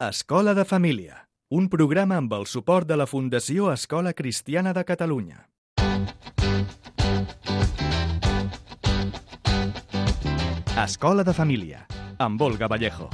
Escola de Família, un programa amb el suport de la Fundació Escola Cristiana de Catalunya. Escola de Família, amb Olga Vallejo.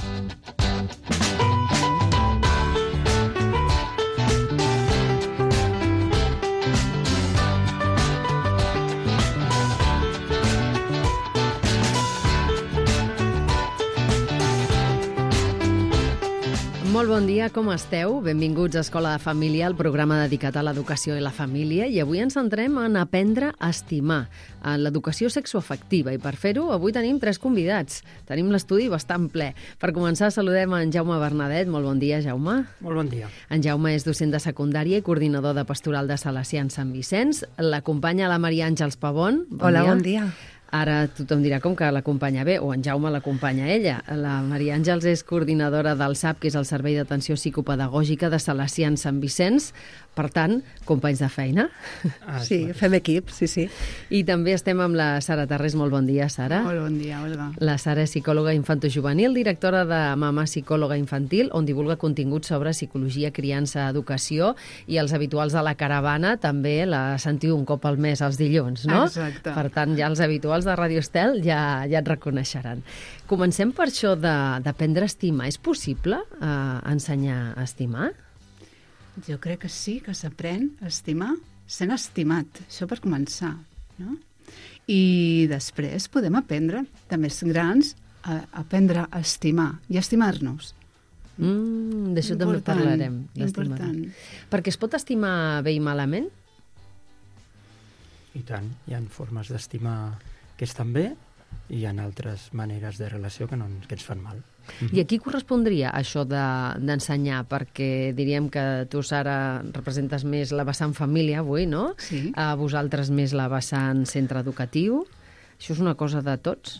Molt bon dia, com esteu? Benvinguts a Escola de Família, el programa dedicat a l'educació i la família, i avui ens centrem en aprendre a estimar, en l'educació sexoafectiva, i per fer-ho avui tenim 3 convidats. Tenim l'estudi bastant ple. Per començar, saludem en Jaume Bernadet. Molt bon dia, Jaume. Molt bon dia. En Jaume és docent de secundària i coordinador de pastoral de Salesians Sant Vicenç. L'acompanya la Maria Àngels Pavón. Hola, bon dia. Ara tothom dirà com que l'acompanya bé, o en Jaume l'acompanya ella. La Maria Àngels és coordinadora del SAP, que és el Servei d'Atenció Psicopedagògica de Salesians Sant Vicenç. Per tant, companys de feina. Sí, fem equip, sí. I també estem amb la Sara Tarrés. Molt bon dia, Sara. Molt bon dia, Olga. La Sara és psicòloga infantojuvenil, directora de Mama Psicòloga Infantil, on divulga continguts sobre psicologia, criança, educació, i els habituals de la caravana també la sentiu un cop al mes els dilluns, no? Exacte. Per tant, ja els habituals de Radio Estel ja et reconeixeran. Comencem per això d'aprendre a estimar. És possible ensenyar a estimar? Jo crec que sí, que s'aprèn a estimar sent estimat. Això per començar, no? I després podem aprendre, de més grans, a aprendre a estimar i a estimar-nos. D'això també parlarem. Important. Perquè es pot estimar bé i malament? I tant. Hi ha formes d'estimar que estan bé i hi ha altres maneres de relació que ens fan mal. I a qui correspondria això d'ensenyar? Perquè diríem que tu, Sara, representes més la vessant família avui, no? Sí. A vosaltres més la vessant centre educatiu. Això és una cosa de tots?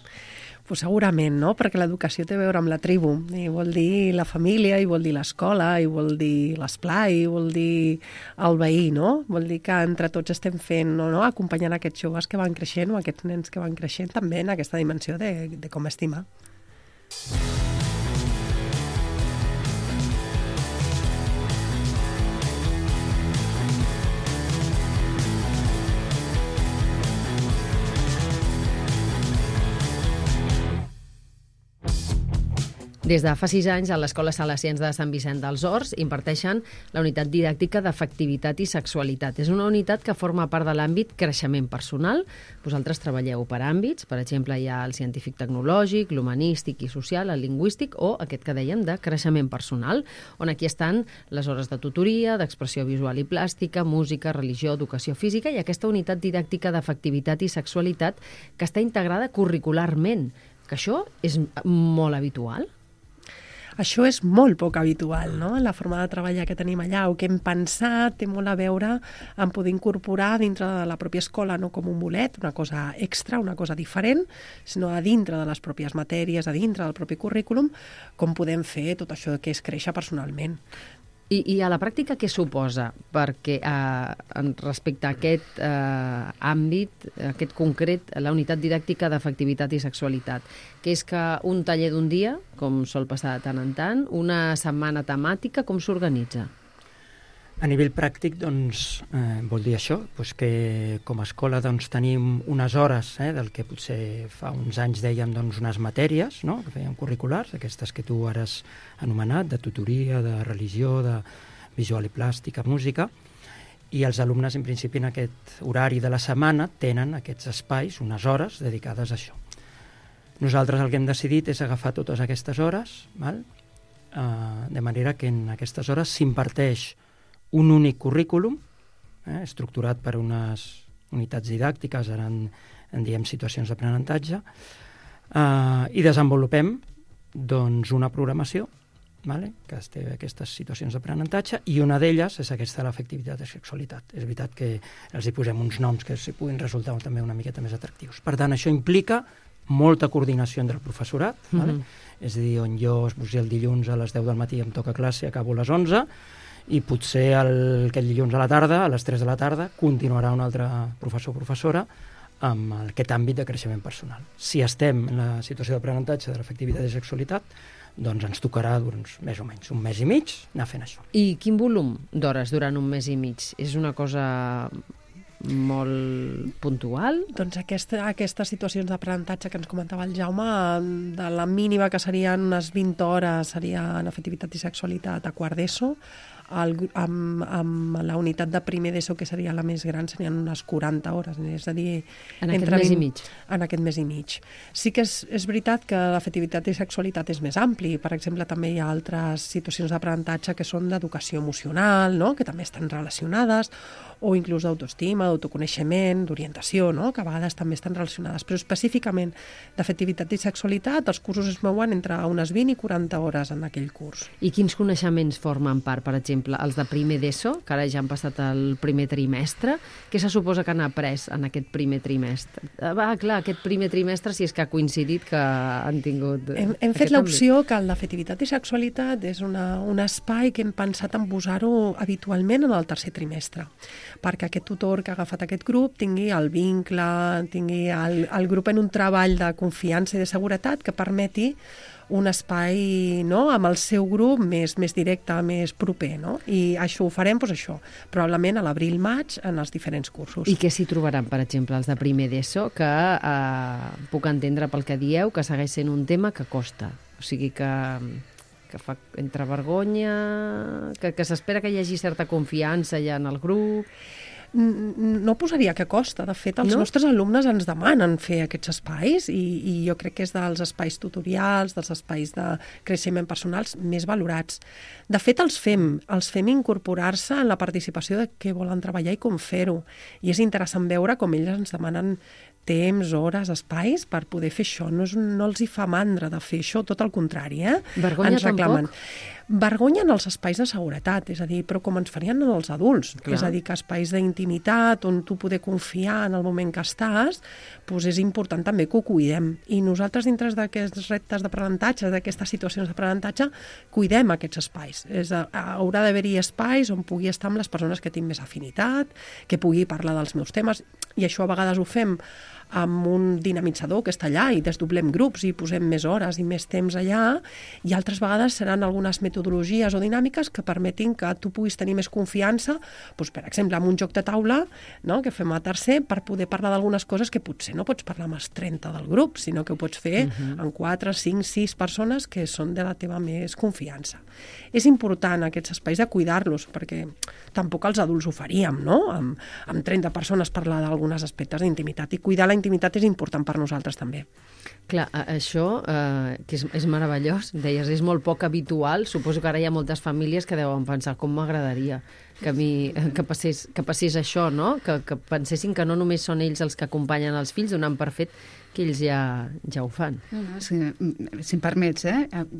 Pues segurament, no? Perquè l'educació té a veure amb la tribu. I vol dir la família, i vol dir l'escola, i vol dir l'esplai, i vol dir el veí, no? Vol dir que entre tots estem fent, no? Acompanyant aquests joves que van creixent o aquests nens que van creixent també en aquesta dimensió de com estimar. Des de fa 6 anys, a l'Escola Salesians de Sant Vicent dels Horts imparteixen la unitat didàctica d'afectivitat i sexualitat. És una unitat que forma part de l'àmbit creixement personal. Vosaltres treballeu per àmbits, per exemple, hi ha el científic-tecnològic, l'humanístic i social, el lingüístic o aquest que dèiem de creixement personal, on aquí estan les hores de tutoria, d'expressió visual i plàstica, música, religió, educació física i aquesta unitat didàctica d'afectivitat i sexualitat que està integrada curricularment, que això és molt habitual. Això és molt poc habitual, no? La forma de treballar que tenim allà o que hem pensat té molt a veure amb poder incorporar dintre de la pròpia escola, no com un bolet, una cosa extra, una cosa diferent, sinó a dintre de les pròpies matèries, a dintre del propi currículum, com podem fer tot això que és créixer personalment. I a la pràctica què suposa? Perquè respecte a aquest àmbit, aquest concret, la unitat didàctica d'afectivitat i sexualitat, que és que un taller d'un dia, com sol passar de tant en tant, una setmana temàtica, com s'organitza? A nivell pràctic, doncs, vol dir això, que com a escola tenim unes hores del que potser fa uns anys dèiem unes matèries, no?, que fèiem curriculars, aquestes que tu ara has anomenat, de tutoria, de religió, de visual i plàstica, música, i els alumnes, en principi, en aquest horari de la setmana tenen aquests espais, unes hores dedicades a això. Nosaltres el que hem decidit és agafar totes aquestes hores, de manera que en aquestes hores s'imparteix un únic currículum, estructurat per unes unitats didàctiques, ara en diem situacions d'aprenentatge, i desenvolupem una programació que té aquestes situacions d'aprenentatge, i una d'elles és aquesta de l'afectivitat i sexualitat. És veritat que els hi posem uns noms que s'hi puguin resultar també una miqueta més atractius. Per tant, això implica molta coordinació entre el professorat, és a dir, on jo el dilluns a les 10 del matí em toca classe, acabo a les 11, i potser aquest dilluns a la tarda, a les 3 de la tarda, continuarà un altre professor o professora amb aquest àmbit de creixement personal. Si estem en la situació d'aprenentatge de l'afectivitat i sexualitat, doncs ens tocarà més o menys un mes i mig anar fent això. I quin volum d'hores durant un mes i mig? És una cosa molt puntual? Doncs aquestes situacions d'aprenentatge que ens comentava el Jaume, de la mínima que serien unes 20 hores seria en afectivitat i sexualitat a quart d'ESO, amb la unitat de primer d'ESO, que seria la més gran, serien unes 40 hores, és a dir... En aquest mes i mig. En aquest mes i mig. Sí que és veritat que l'afectivitat i sexualitat és més ampli. Per exemple, també hi ha altres situacions d'aprenentatge que són d'educació emocional, no?, que també estan relacionades, o inclús d'autoestima, d'autoconeixement, d'orientació, no?, que a vegades també estan relacionades. Però específicament d'afectivitat i sexualitat, els cursos es mouen entre unes 20 i 40 hores en aquell curs. I quins coneixements formen part, per exemple, els de primer d'ESO, que ara ja han passat el primer trimestre? Què se suposa que han après en aquest primer trimestre? Clar, aquest primer trimestre, si és que ha coincidit que han tingut... Hem fet l'opció que el d'afectivitat i sexualitat és un espai que hem pensat en posar-ho habitualment en el tercer trimestre, perquè aquest tutor que ha agafat aquest grup tingui el vincle, tingui el grup en un treball de confiança i de seguretat que permeti un espai, no?, amb el seu grup més directe, més proper, no? I això ho farem, doncs això, probablement a l'abril-maig en els diferents cursos. I què s'hi trobaran, per exemple, els de primer d'ESO, que puc entendre pel que dieu, que segueix sent un tema que costa, o sigui que fa entre vergonya, que s'espera que hi hagi certa confiança ja en el grup... No posaria que costa. De fet, els nostres alumnes ens demanen fer aquests espais i jo crec que és dels espais tutorials, dels espais de creixement personals més valorats. De fet, els fem incorporar-se en la participació de què volen treballar i com fer-ho. I és interessant veure com ells ens demanen temps, hores, espais per poder fer això. No els hi fa mandra de fer això, tot el contrari. Vergonya tampoc? Vergonya en els espais de seguretat, és a dir, però com ens farien en els adults. Clar. És a dir, que espais d'intimitat on tu poder confiar en el moment que estàs, doncs és important també que ho cuidem. I nosaltres, dintre d'aquests reptes d'aprenentatge, d'aquestes situacions d'aprenentatge, cuidem aquests espais. Haurà d'haver-hi espais on pugui estar amb les persones que tinc més afinitat, que pugui parlar dels meus temes, i això a vegades ho fem amb un dinamitzador que està allà i desdoblem grups i posem més hores i més temps allà, i altres vegades seran algunes metodologies o dinàmiques que permetin que tu puguis tenir més confiança, doncs, per exemple, amb un joc de taula, no?, que fem a tercer, per poder parlar d'algunes coses que potser no pots parlar amb els 30 del grup, sinó que ho pots fer amb 4, 5, 6 persones que són de la teva més confiança. És important aquests espais de cuidar-los, perquè tampoc els adults ho faríem, no?, amb 30 persones parlar d'alguns aspectes d'intimitat, i cuidar la intimitat és important per nosaltres també. Clar, això, que és meravellós, deies, és molt poc habitual. Suposo que ara hi ha moltes famílies que deuen pensar com m'agradaria que passés això, no? Que pensessin que no només són ells els que acompanyen els fills, donant per fet que ells ja ho fan. No, si em permets,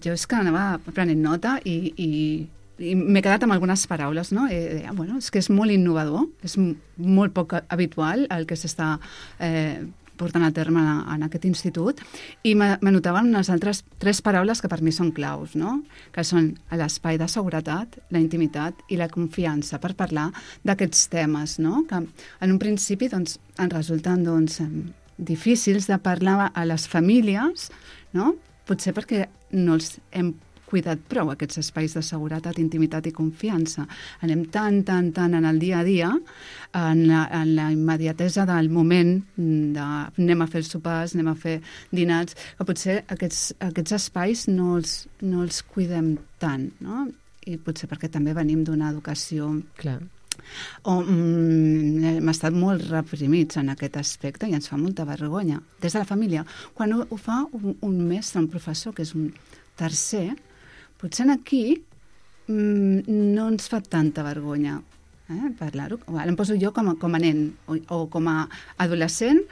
jo és que anava prenent nota i m'he quedat amb algunes paraules, no? Bueno, és que és molt innovador, és molt poc habitual el que s'està portant a terme en aquest institut, i m'anotaven unes altres 3 paraules que per mi són claus, no?, que són l'espai de seguretat, la intimitat i la confiança per parlar d'aquests temes, no?, que en un principi doncs, ens resulten difícils de parlar a les famílies, no?, potser perquè no els hem cuidat prou aquests espais de seguretat, intimitat i confiança. Anem tan en el dia a dia, en la immediatesa del moment anem a fer els sopars, anem a fer dinars, que potser aquests espais no els cuidem tant, no? I potser perquè també venim d'una educació... Clar. Hem estat molt reprimits en aquest aspecte i ens fa molta vergonya. Des de la família, quan ho fa un mestre, un professor, que és un tercer, potser aquí no ens fa tanta vergonya parlar-ho. Em poso jo com a nen, o com a adolescent,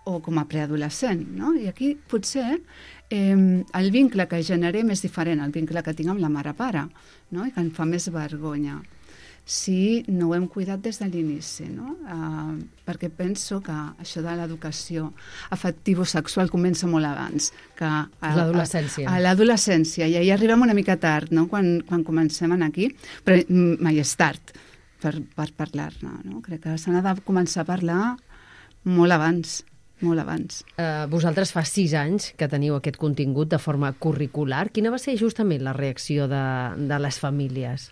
o com a preadolescent, no? I aquí potser el vincle que generem és diferent, el vincle que tinc amb la mare-pare, no? I que em fa més vergonya si no ho hem cuidat des de l'inici, no? Perquè penso que això de l'educació afectivo-sexual comença molt abans. L'adolescència. A l'adolescència, i ahir arribem una mica tard, no?, quan comencem aquí, però mai és tard per parlar-ne, no? Crec que se n'ha de començar a parlar molt abans. molt abans. Vosaltres fa 6 anys que teniu aquest contingut de forma curricular. Quina va ser justament la reacció de les famílies?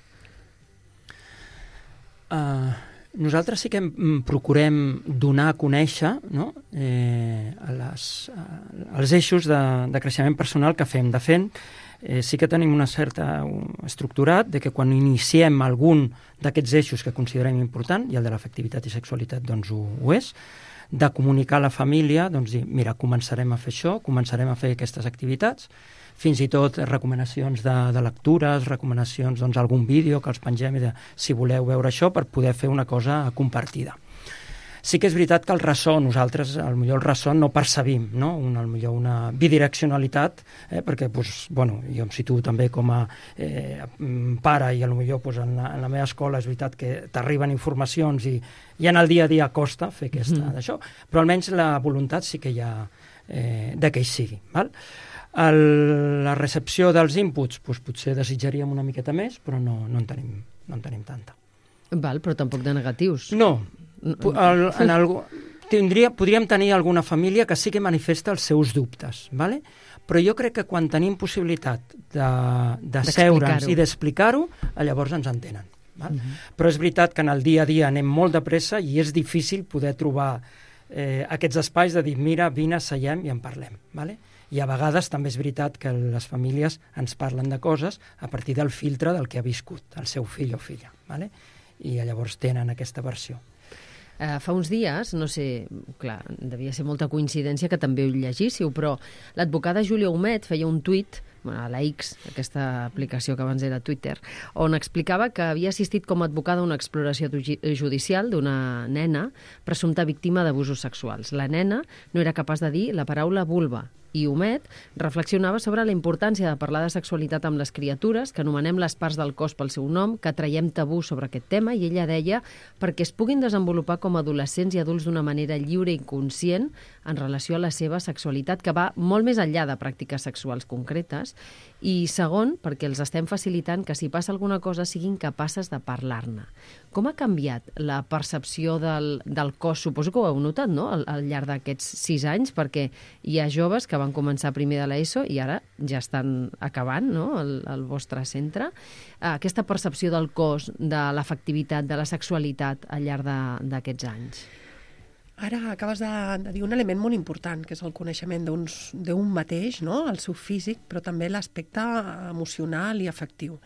Nosaltres sí que procurem donar a conèixer, no? Els eixos de creixement personal que fem. De fet, sí que tenim una certa estructurat de que quan iniciem algun d'aquests eixos que considerem important, i el de l'afectivitat i sexualitat doncs ho és, de comunicar a la família, doncs dir, mira, començarem a fer això, començarem a fer aquestes activitats, fins i tot recomanacions de lectures, recomanacions d'algun vídeo que els pengem i de si voleu veure això per poder fer una cosa compartida. Sí que és veritat que el ressò, nosaltres potser el ressò no percebim, no? Potser una bidireccionalitat, perquè jo em situo també com a pare i potser en la meva escola és veritat que t'arriben informacions i en el dia a dia costa fer d'això, però almenys la voluntat sí que hi ha de que hi sigui, val? La recepció dels inputs potser desitjaríem una miqueta més, però no en tenim tanta. Val, però tampoc de negatius. No. Podríem tenir alguna família que sí que manifesta els seus dubtes, ¿vale? Però jo crec que quan tenim possibilitat de seure'ns i d'explicar-ho, llavors ens entenen. Val? Però és veritat que en el dia a dia anem molt de pressa i és difícil poder trobar aquests espais de dir, mira, vine, seiem i en parlem. ¿Vale? I a vegades també és veritat que les famílies ens parlen de coses a partir del filtre del que ha viscut el seu fill o filla. ¿Vale? I llavors tenen aquesta versió. Fa uns dies, no sé, clar, devia ser molta coincidència que també ho llegíssiu, però l'advocada Júlia Humet feia un tuit a la X, aquesta aplicació que abans era Twitter, on explicava que havia assistit com a advocada a una exploració judicial d'una nena presumpta víctima d'abusos sexuals. La nena no era capaç de dir la paraula vulva, i Humet reflexionava sobre la importància de parlar de sexualitat amb les criatures, que anomenem les parts del cos pel seu nom, que traiem tabú sobre aquest tema, i ella deia perquè es puguin desenvolupar com a adolescents i adults d'una manera lliure i conscient en relació a la seva sexualitat, que va molt més enllà de pràctiques sexuals concretes, i segon, perquè els estem facilitant que si passa alguna cosa siguin capaces de parlar-ne. Com ha canviat la percepció del cos? Suposo que ho heu notat, no?, al llarg d'aquests 6 anys, perquè hi ha joves que van començar primer de l'ESO i ara ja estan acabant, no?, el vostre centre. Aquesta percepció del cos, de l'afectivitat, de la sexualitat al llarg d'aquests anys. Ara acabes de dir un element molt important, que és el coneixement d'un mateix, no?, el seu físic, però també l'aspecte emocional i afectiu.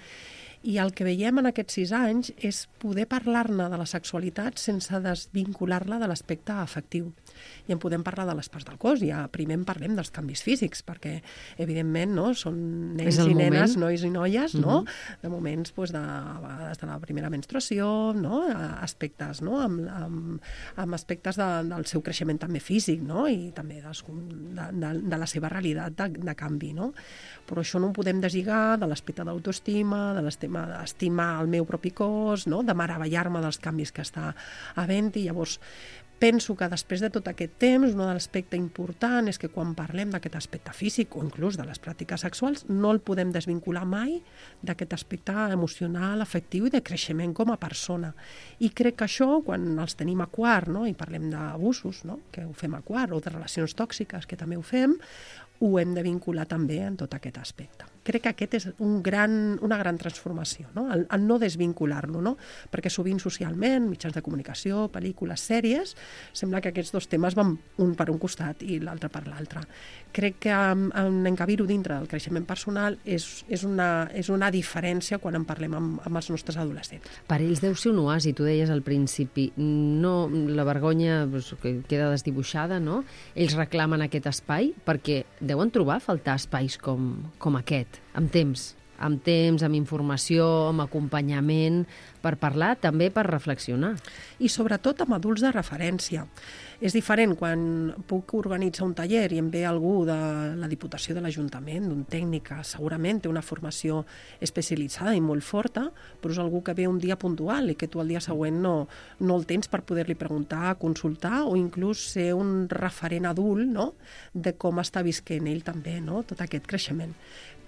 I el que veiem en aquests 6 anys és poder parlar-ne de la sexualitat sense desvincular-la de l'aspecte afectiu. I en podem parlar de les parts del cos, ja primer en parlem dels canvis físics, perquè evidentment no, són nens i nenes, nois i noies, no? De moments de la primera menstruació, no? Aspectes, no? Amb aspectes del seu creixement també físic, no? I també de la seva realitat de canvi, no? Però això no ho podem deslligar de l'aspecte d'autoestima, de l'estima d'estimar el meu propi cos, no? De meravellar-me dels canvis que està havent-hi. Llavors, penso que després de tot aquest temps, un aspecte important és que quan parlem d'aquest aspecte físic o inclús de les pràctiques sexuals, no el podem desvincular mai d'aquest aspecte emocional, afectiu i de creixement com a persona. I crec que això, quan els tenim a quart, no? I parlem d'abusos, no? Que ho fem a quart, o de relacions tòxiques, que també ho fem, ho hem de vincular també en tot aquest aspecte. Crec que aquest és una gran transformació, no? El no desvincular-lo, no? Perquè sovint socialment, mitjans de comunicació, pel·lícules, sèries, sembla que aquests dos temes van un per un costat i l'altre per l'altre. Crec que en encabir-ho dintre del creixement personal és una diferència quan en parlem amb els nostres adolescents. Per ells deu ser un oasi, tu deies al principi, no, la vergonya que queda desdibuixada, no? Ells reclamen aquest espai perquè deuen trobar a faltar espais com aquest, amb temps, amb informació, amb acompanyament, per parlar, també per reflexionar. I sobretot amb adults de referència. És diferent quan puc organitzar un taller i em ve algú de la Diputació de l'Ajuntament, d'un tècnic que segurament té una formació especialitzada i molt forta, però és algú que ve un dia puntual i que tu el dia següent no el tens per poder-li preguntar, consultar o inclús ser un referent adult, no?, de com està visquent ell també, no?, tot aquest creixement.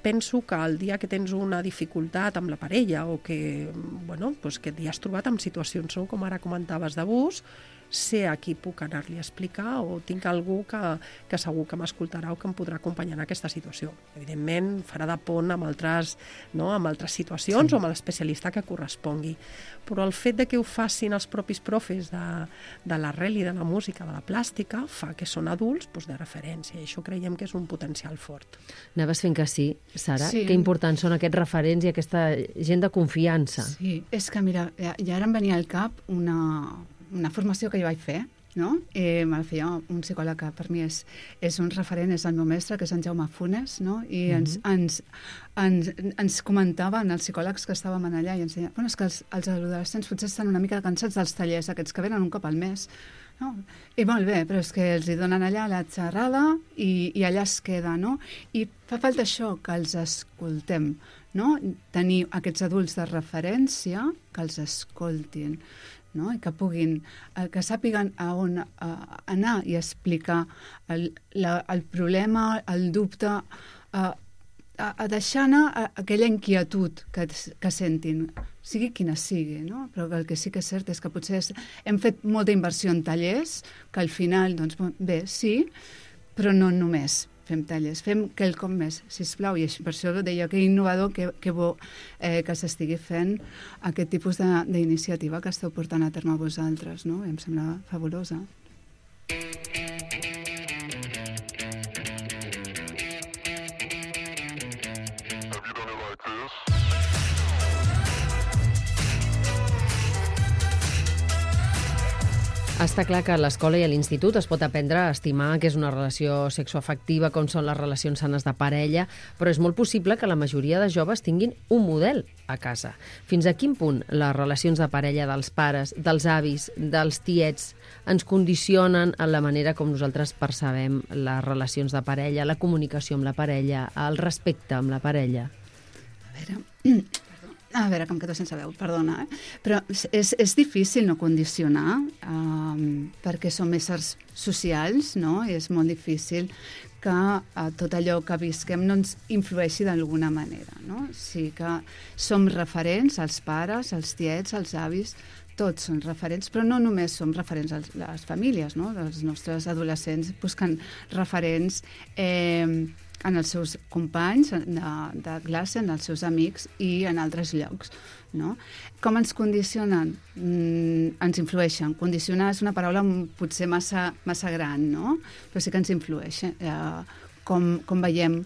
Penso que el dia que tens una dificultat amb la parella o que, que et has trobat en situacions, no?, com ara comentaves, d'abús, sé a qui puc anar-li a explicar o tinc algú que segur que m'escoltarà o que em podrà acompanyar en aquesta situació. Evidentment, farà de pont amb altres situacions o amb l'especialista que correspongui. Però el fet de que ho facin els propis profes de l'arrel i de la música, de la plàstica, fa que són adults de referència, i això creiem que és un potencial fort. Anaves fent que sí, Sara? Sí. Que importants són aquests referents i aquesta gent de confiança. Sí, és que mira, ja ara em venia al cap una formació que jo vaig fer, no? Me la feia un psicòleg que per mi és un referent, és el meu mestre, que és en Jaume Funes, no? I ens comentaven els psicòlegs que estàvem allà i ens deien, és que els adolescents potser estan una mica cansats dels tallers aquests que venen un cop al mes, no? I molt bé, però és que els hi donen allà la xerrada i allà es queda, no? I fa falta això, que els escoltem, no? Tenir aquests adults de referència que els escoltin, no? I que puguin, que sàpiguen a on anar i explicar el problema, el dubte, a deixar anar aquella inquietud que sentin, sigui quina sigui, no? Però el que sí que és cert és que potser hem fet molta inversió en tallers, que al final, doncs bé, sí, però no només fem tallers, fem quelcom més, sisplau, i per això deia que innovador, que bo que s'estigui fent aquest tipus d'iniciativa que esteu portant a terme vosaltres, no? Em sembla fabulosa. Està clar que a l'escola i a l'institut es pot aprendre a estimar que és una relació sexoafectiva, com són les relacions sanes de parella, però és molt possible que la majoria de joves tinguin un model a casa. Fins a quin punt les relacions de parella dels pares, dels avis, dels tiets ens condicionen en la manera com nosaltres percebem les relacions de parella, la comunicació amb la parella, el respecte amb la parella? A veure, com que tot sense veu, perdona, però és difícil no condicionar perquè som éssers socials, no? I és molt difícil que tot allò que visquem no ens influeixi d'alguna manera, no? Sí que som referents, els pares, els tiets, els avis, tots són referents, però no només som referents a les famílies, no? Els nostres adolescents busquen referents en els seus companys de classe, en els seus amics i en altres llocs, no? Com ens condicionen? Ens influeixen. Condicionar és una paraula potser massa gran, no? Però sí que ens influeix. Com veiem,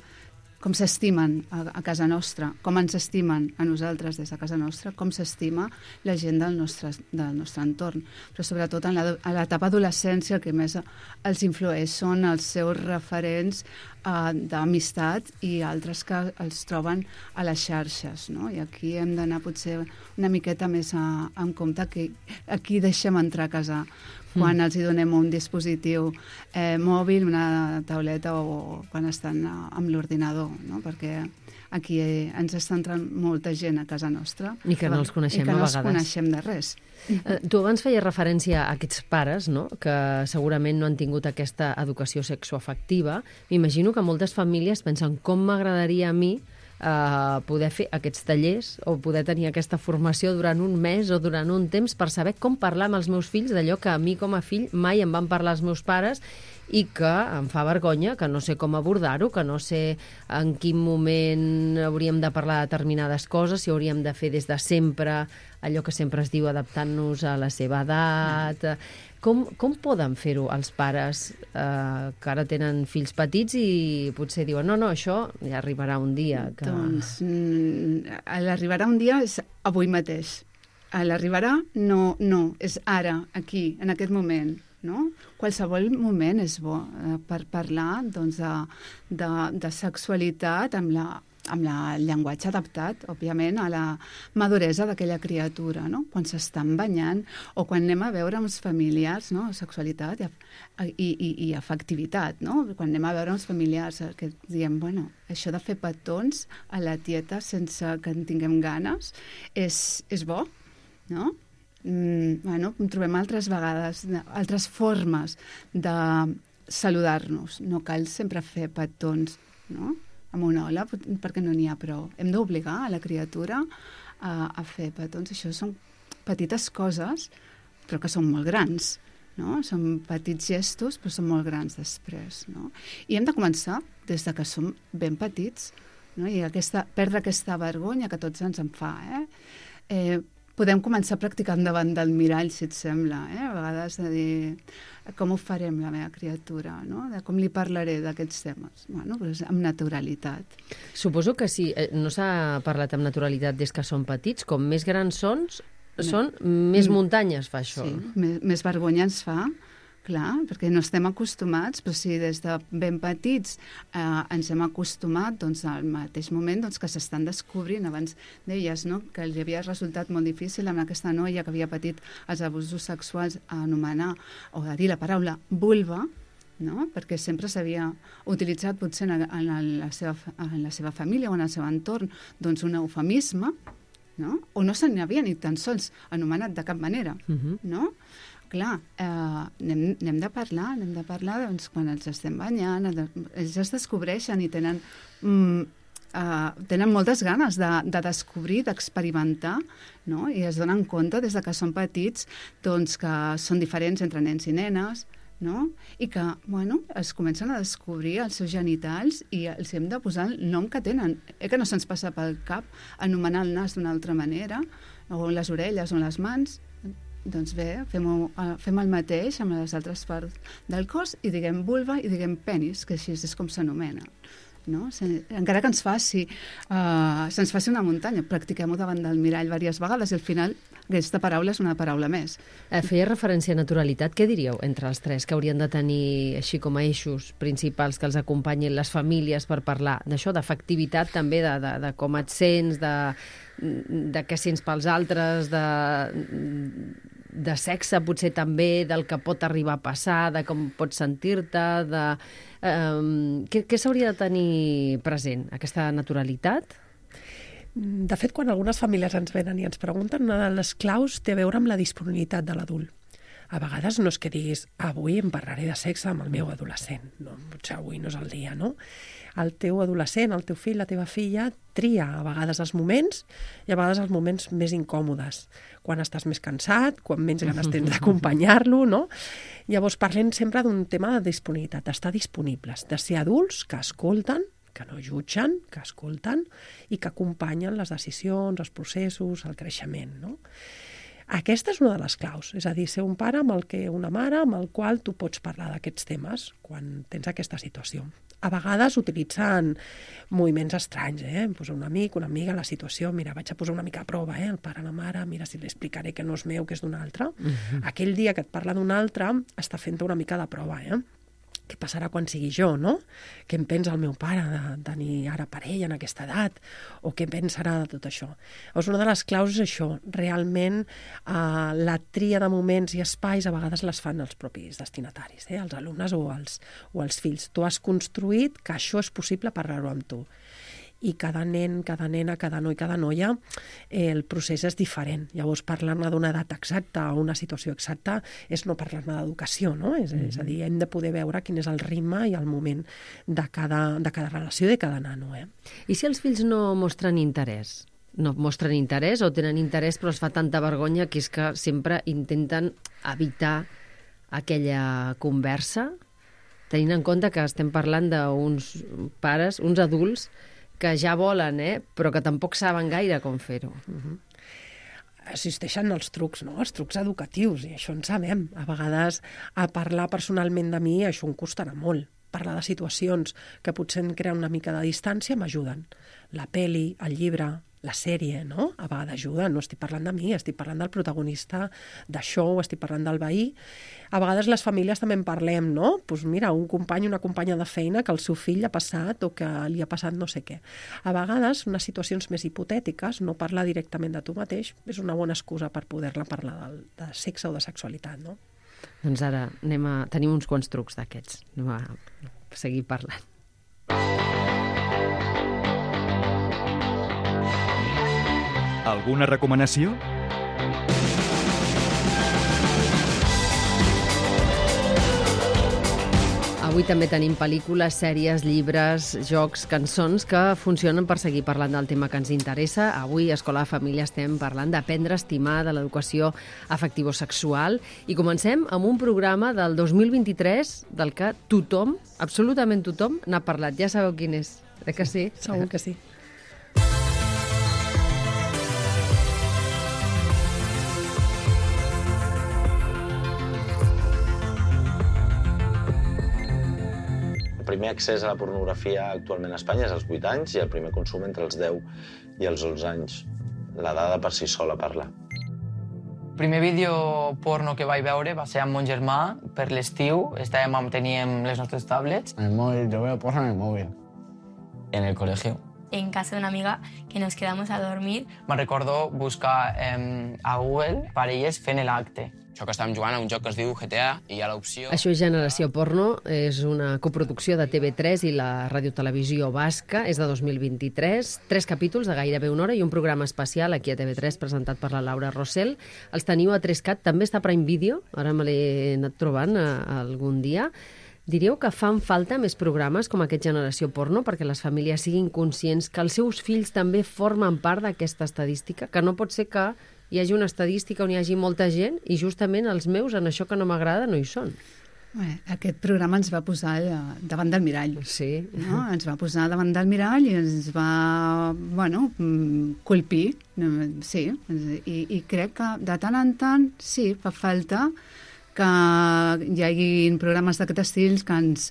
com s'estimen a casa nostra, com ens estimen a nosaltres des de casa nostra, com s'estima la gent del nostre entorn. Però sobretot a l'etapa adolescència el que més els influeix són els seus referents d'amistat i altres que els troben a les xarxes, no? I aquí hem d'anar potser una miqueta més en compte que aquí deixem entrar a casa quan els hi donem un dispositiu mòbil, una tauleta o quan estan amb l'ordinador, no? Perquè aquí ens està entrant molta gent a casa nostra i que no els coneixem a vegades. I que no els coneixem de res. Tu abans feies referència a aquests pares, no? Que segurament no han tingut aquesta educació sexoafectiva. M'imagino que moltes famílies pensen com m'agradaria a mi poder fer aquests tallers o poder tenir aquesta formació durant un mes o durant un temps per saber com parlar amb els meus fills d'allò que a mi com a fill mai em van parlar els meus pares i que em fa vergonya, que no sé com abordar-ho, que no sé en quin moment hauríem de parlar de determinades coses, si hauríem de fer des de sempre allò que sempre es diu adaptant-nos a la seva edat. Com poden fer-ho els pares que ara tenen fills petits i potser diuen no, això ja arribarà un dia? Doncs l'arribarà un dia és avui mateix. L'arribarà no, és ara, aquí, en aquest moment. No? Qualsevol moment és bo per parlar doncs, de sexualitat amb el llenguatge adaptat, òbviament, a la maduresa d'aquella criatura, no? Quan s'estan banyant o quan anem a veure amb els familiars, no? Sexualitat i afectivitat, no? Quan anem a veure amb els familiars que diem, bueno, això de fer petons a la tieta sense que en tinguem ganes és bo, no? Trobem altres vegades, altres formes de saludar-nos. No cal sempre fer petons, no? Amb una ola, perquè no n'hi ha prou. Hem d'obligar a la criatura a fer petons. Això són petites coses, però que són molt grans, no? Són petits gestos, però són molt grans després, no? I hem de començar des de que som ben petits, no? I perdre aquesta vergonya que tots ens en fa, podem començar practicant davant del mirall, si et sembla, a vegades de dir com ho farem la meva criatura, no? De com li parlaré d'aquests temes. Bueno, doncs amb naturalitat. Suposo que si no s'ha parlat amb naturalitat des que són petits, com més grans són més muntanyes fa això. Sí, més vergonya ens fa, clar, perquè no estem acostumats, però si des de ben petits ens hem acostumat, doncs al mateix moment que s'estan descobrint, abans deies, no?, que li havia resultat molt difícil amb aquesta noia que havia patit els abusos sexuals a anomenar o a dir la paraula vulva, no? Perquè sempre s'havia utilitzat potser en la seva família o en el seu entorn doncs un eufemisme, no? O no se n'havia ni tan sols anomenat de cap manera, no? Clar, n'hem de parlar doncs, quan els estem banyant, ells es descobreixen i tenen moltes ganes de descobrir, d'experimentar, no? I es donen compte des de que són petits doncs, que són diferents entre nens i nenes, no? I que, bueno, es comencen a descobrir els seus genitals i els hem de posar el nom que tenen. Que no se'ns passa pel cap anomenar el nas d'una altra manera, o les orelles o les mans. Doncs bé, fem el mateix amb les altres parts del cos i diguem vulva i diguem penis, que així és com s'anomena. No? Encara que se'ns faci una muntanya, practiquem-ho davant del mirall diverses vegades i al final aquesta paraula és una paraula més. Feia referència a naturalitat. Què diríeu entre els tres que haurien de tenir així com a eixos principals que els acompanyin les famílies per parlar d'això, d'afectivitat també, de com et sents, de què sents pels altres, de sexe potser també, del que pot arribar a passar, de com pots sentir-te, què s'hauria de tenir present? Aquesta naturalitat? De fet, quan algunes famílies ens venen i ens pregunten, una de les claus té a veure amb la disponibilitat de l'adult. A vegades no és que diguis avui em parlaré de sexe amb el meu adolescent. No, potser avui no és el dia, no? El teu adolescent, el teu fill, la teva filla, tria a vegades els moments i a vegades els moments més incòmodes. Quan estàs més cansat, quan menys ganes tens d'acompanyar-lo, no? Llavors parlem sempre d'un tema de disponibilitat, d'estar disponibles, de ser adults que escolten, que no jutgen, que escolten i que acompanyen les decisions, els processos, el creixement, no? Aquesta és una de les claus, és a dir, ser un pare una mare amb el qual tu pots parlar d'aquests temes quan tens aquesta situació. A vegades utilitzen moviments estranys, Posa un amic, una amiga, la situació, mira, vaig a posar una mica a prova, el pare, la mare, mira si li explicaré que no és meu, que és d'un altre. Aquell dia que et parla d'un altre, està fent una mica de prova, Què passarà quan sigui jo, no? Què em pensa el meu pare de tenir ara parella en aquesta edat? O què pensarà de tot això? Llavors, una de les claus és això. Realment, la tria de moments i espais a vegades les fan els propis destinataris, els alumnes o els fills. Tu has construït que això és possible parlar-ho amb tu. I cada nen, cada nena, cada noi, cada noia, el procés és diferent. Llavors, parlar-ne d'una edat exacta o una situació exacta és no parlar-ne d'educació, no? És a dir, hem de poder veure quin és el ritme i el moment de cada relació de cada nano. I si els fills no mostren interès? No mostren interès o tenen interès però es fa tanta vergonya que és que sempre intenten evitar aquella conversa, tenint en compte que estem parlant d'uns pares, uns adults, que ja volen, però que tampoc saben gaire com fer-ho. Existeixen els trucs, no? Els trucs educatius, i això en sabem. A vegades, a parlar personalment de mi, això em costarà molt. Parlar de situacions que potser em creen una mica de distància m'ajuden. La peli, el llibre, la sèrie, no? A vegades ajuden. No estic parlant de mi, estic parlant del protagonista d'això, estic parlant del veí. A vegades les famílies també en parlem, no? Doncs mira, un company, una companya de feina que el seu fill ha passat o que li ha passat no sé què. A vegades, unes situacions més hipotètiques, no parlar directament de tu mateix, és una bona excusa per poder-la parlar de sexe o de sexualitat, no? Doncs ara tenim uns quants trucs d'aquests. Anem a seguir parlant. Alguna recomanació? Avui també tenim pel·lícules, sèries, llibres, jocs, cançons que funcionen per seguir parlant del tema que ens interessa. Avui a Escola de Família estem parlant d'aprendre a estimar, de l'educació afectivo-sexual, i comencem amb un programa del 2023 del que tothom, absolutament tothom, n'ha parlat. Ja sabeu quin és, que sí? Segur que sí. El primer accés a la pornografia actualment a Espanya és als 8 anys i el primer consum entre els 10 i els 11 anys. La dada per si sola parla. El primer vídeo porno que vaig veure va ser amb mon germà per l'estiu. Teníem les nostres tablets. En el móvil, yo veo porno en el móvil. En el colegio. En casa de una amiga que nos quedamos a dormir. Me'n recordo buscar a Google parelles fent l'acte. Això que estàvem jugant a un joc que es diu GTA i hi ha l'opció... Això és Generació Porno, és una coproducció de TV3 i la Radiotelevisió Basca, és de 2023, 3 capítols de gairebé una hora i un programa especial aquí a TV3 presentat per la Laura Rossell. Els teniu a 3CAT, també està a Prime Video, ara me l'he anat trobant algun dia. Diríeu que fan falta més programes com aquest Generació Porno perquè les famílies siguin conscients que els seus fills també formen part d'aquesta estadística, que no pot ser que hi hagi una estadística on hi hagi molta gent i justament els meus en això que no m'agrada no hi són. Bé, aquest programa ens va posar davant del mirall. Sí. No? Ens va posar davant del mirall i ens va, colpir. Sí, i crec que de tant en tant, sí, fa falta que hi hagi programes d'aquest estil que ens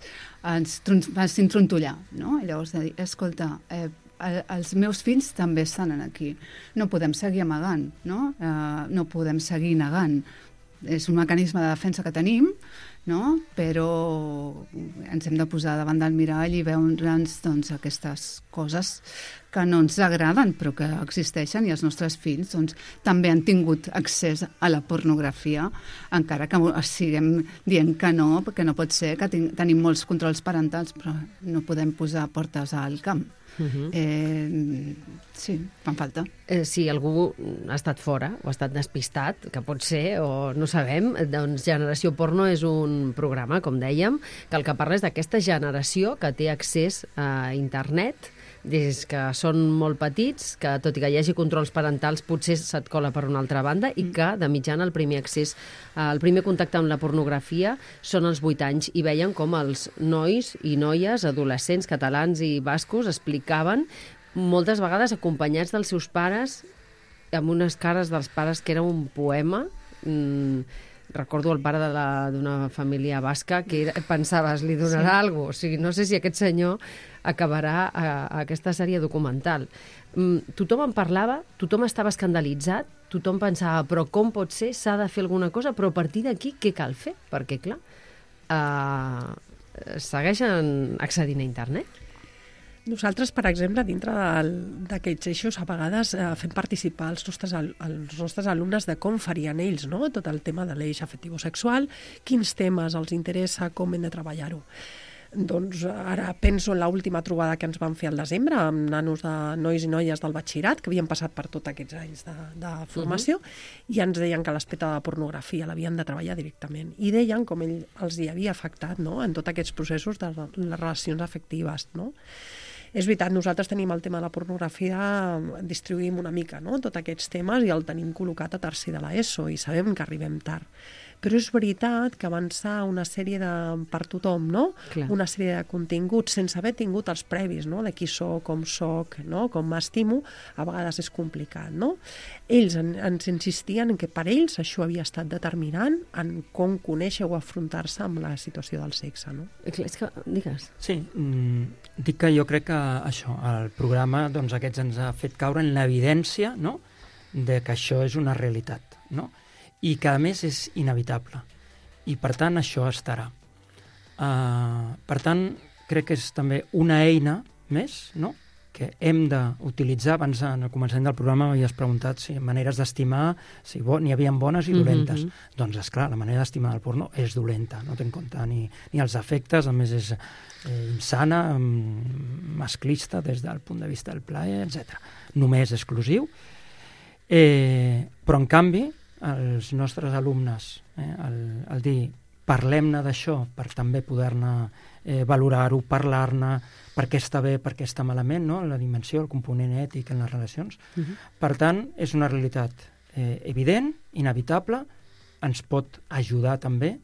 facin trontollar, no? I llavors de dir, escolta, els meus fills també estan aquí. No podem seguir amagant, no? No podem seguir negant. És un mecanisme de defensa que tenim, no? Però ens hem de posar davant del mirall i veure'ns aquestes coses que no ens agraden però que existeixen i els nostres fills també han tingut accés a la pornografia, encara que siguem dient que no, perquè no pot ser, que tenim molts controls parentals però no podem posar portes al camp. Sí, fan falta. Si algú ha estat fora o ha estat despistat, que pot ser, o no sabem, doncs Generació Porno és un programa, com dèiem, que el que parla és d'aquesta generació que té accés a internet des que són molt petits, que tot i que hi hagi controls parentals potser se't cola per una altra banda i que de mitjana el primer accés, el primer contacte amb la pornografia són als 8 anys i veien com els nois i noies, adolescents catalans i bascos explicaven moltes vegades acompanyats dels seus pares amb unes cares dels pares que era un poema. Recordo el pare d'una família basca que pensaves, li donarà alguna cosa. O sigui, no sé si aquest senyor acabarà aquesta sèrie documental. Tothom en parlava, tothom estava escandalitzat, tothom pensava, però com pot ser? S'ha de fer alguna cosa, però a partir d'aquí què cal fer? Perquè, clar, segueixen accedint a internet. Nosaltres, per exemple, dintre d'aquests eixos, a vegades fem participar els nostres alumnes de com farien ells, no? Tot el tema de l'eix afectivo-sexual, quins temes els interessa, com hem de treballar-ho. Doncs ara penso en l'última trobada que ens van fer al desembre amb nanos de nois i noies del batxillerat que havien passat per tots aquests anys de formació i ens deien que l'aspecte de la pornografia l'havien de treballar directament i deien com ell els hi havia afectat, no? En tots aquests processos de les relacions afectives, no? És veritat, nosaltres tenim el tema de la pornografia, distribuïm una mica, no? Tots aquests temes i el tenim col·locat a tercer de l'ESO i sabem que arribem tard. Però és veritat que avançar una sèrie per tothom, no? Clar. Una sèrie de continguts sense haver tingut els previs, no? De qui soc, no? Com m'estimo, a vegades és complicat, no? Ells ens insistien que per ells això havia estat determinant en com conèixer o afrontar-se amb la situació del sexe, no? És que, digues. Sí, dic que jo crec que això, el programa aquests ens ha fet caure en l'evidència, no?, de que això és una realitat, no?, i que a més és inevitable i per tant això estarà. Per tant crec que és també una eina més, no?, que hem d'utilitzar. Abans, en el començament del programa, m'havies preguntat si maneres d'estimar, si n'hi havia bones i dolentes. Doncs, esclar, la manera d'estimar del porno és dolenta, no té en compte ni els efectes, a més és insana, masclista des del punt de vista del plaer, etc. Només exclusiu. Però, en canvi, els nostres alumnes, el dir parlem-ne d'això per també poder-ne valorar-ho, parlar-ne, per què està bé, per què està malament, no? La dimensió, el component ètic en les relacions. Per tant, és una realitat evident, inevitable, ens pot ajudar també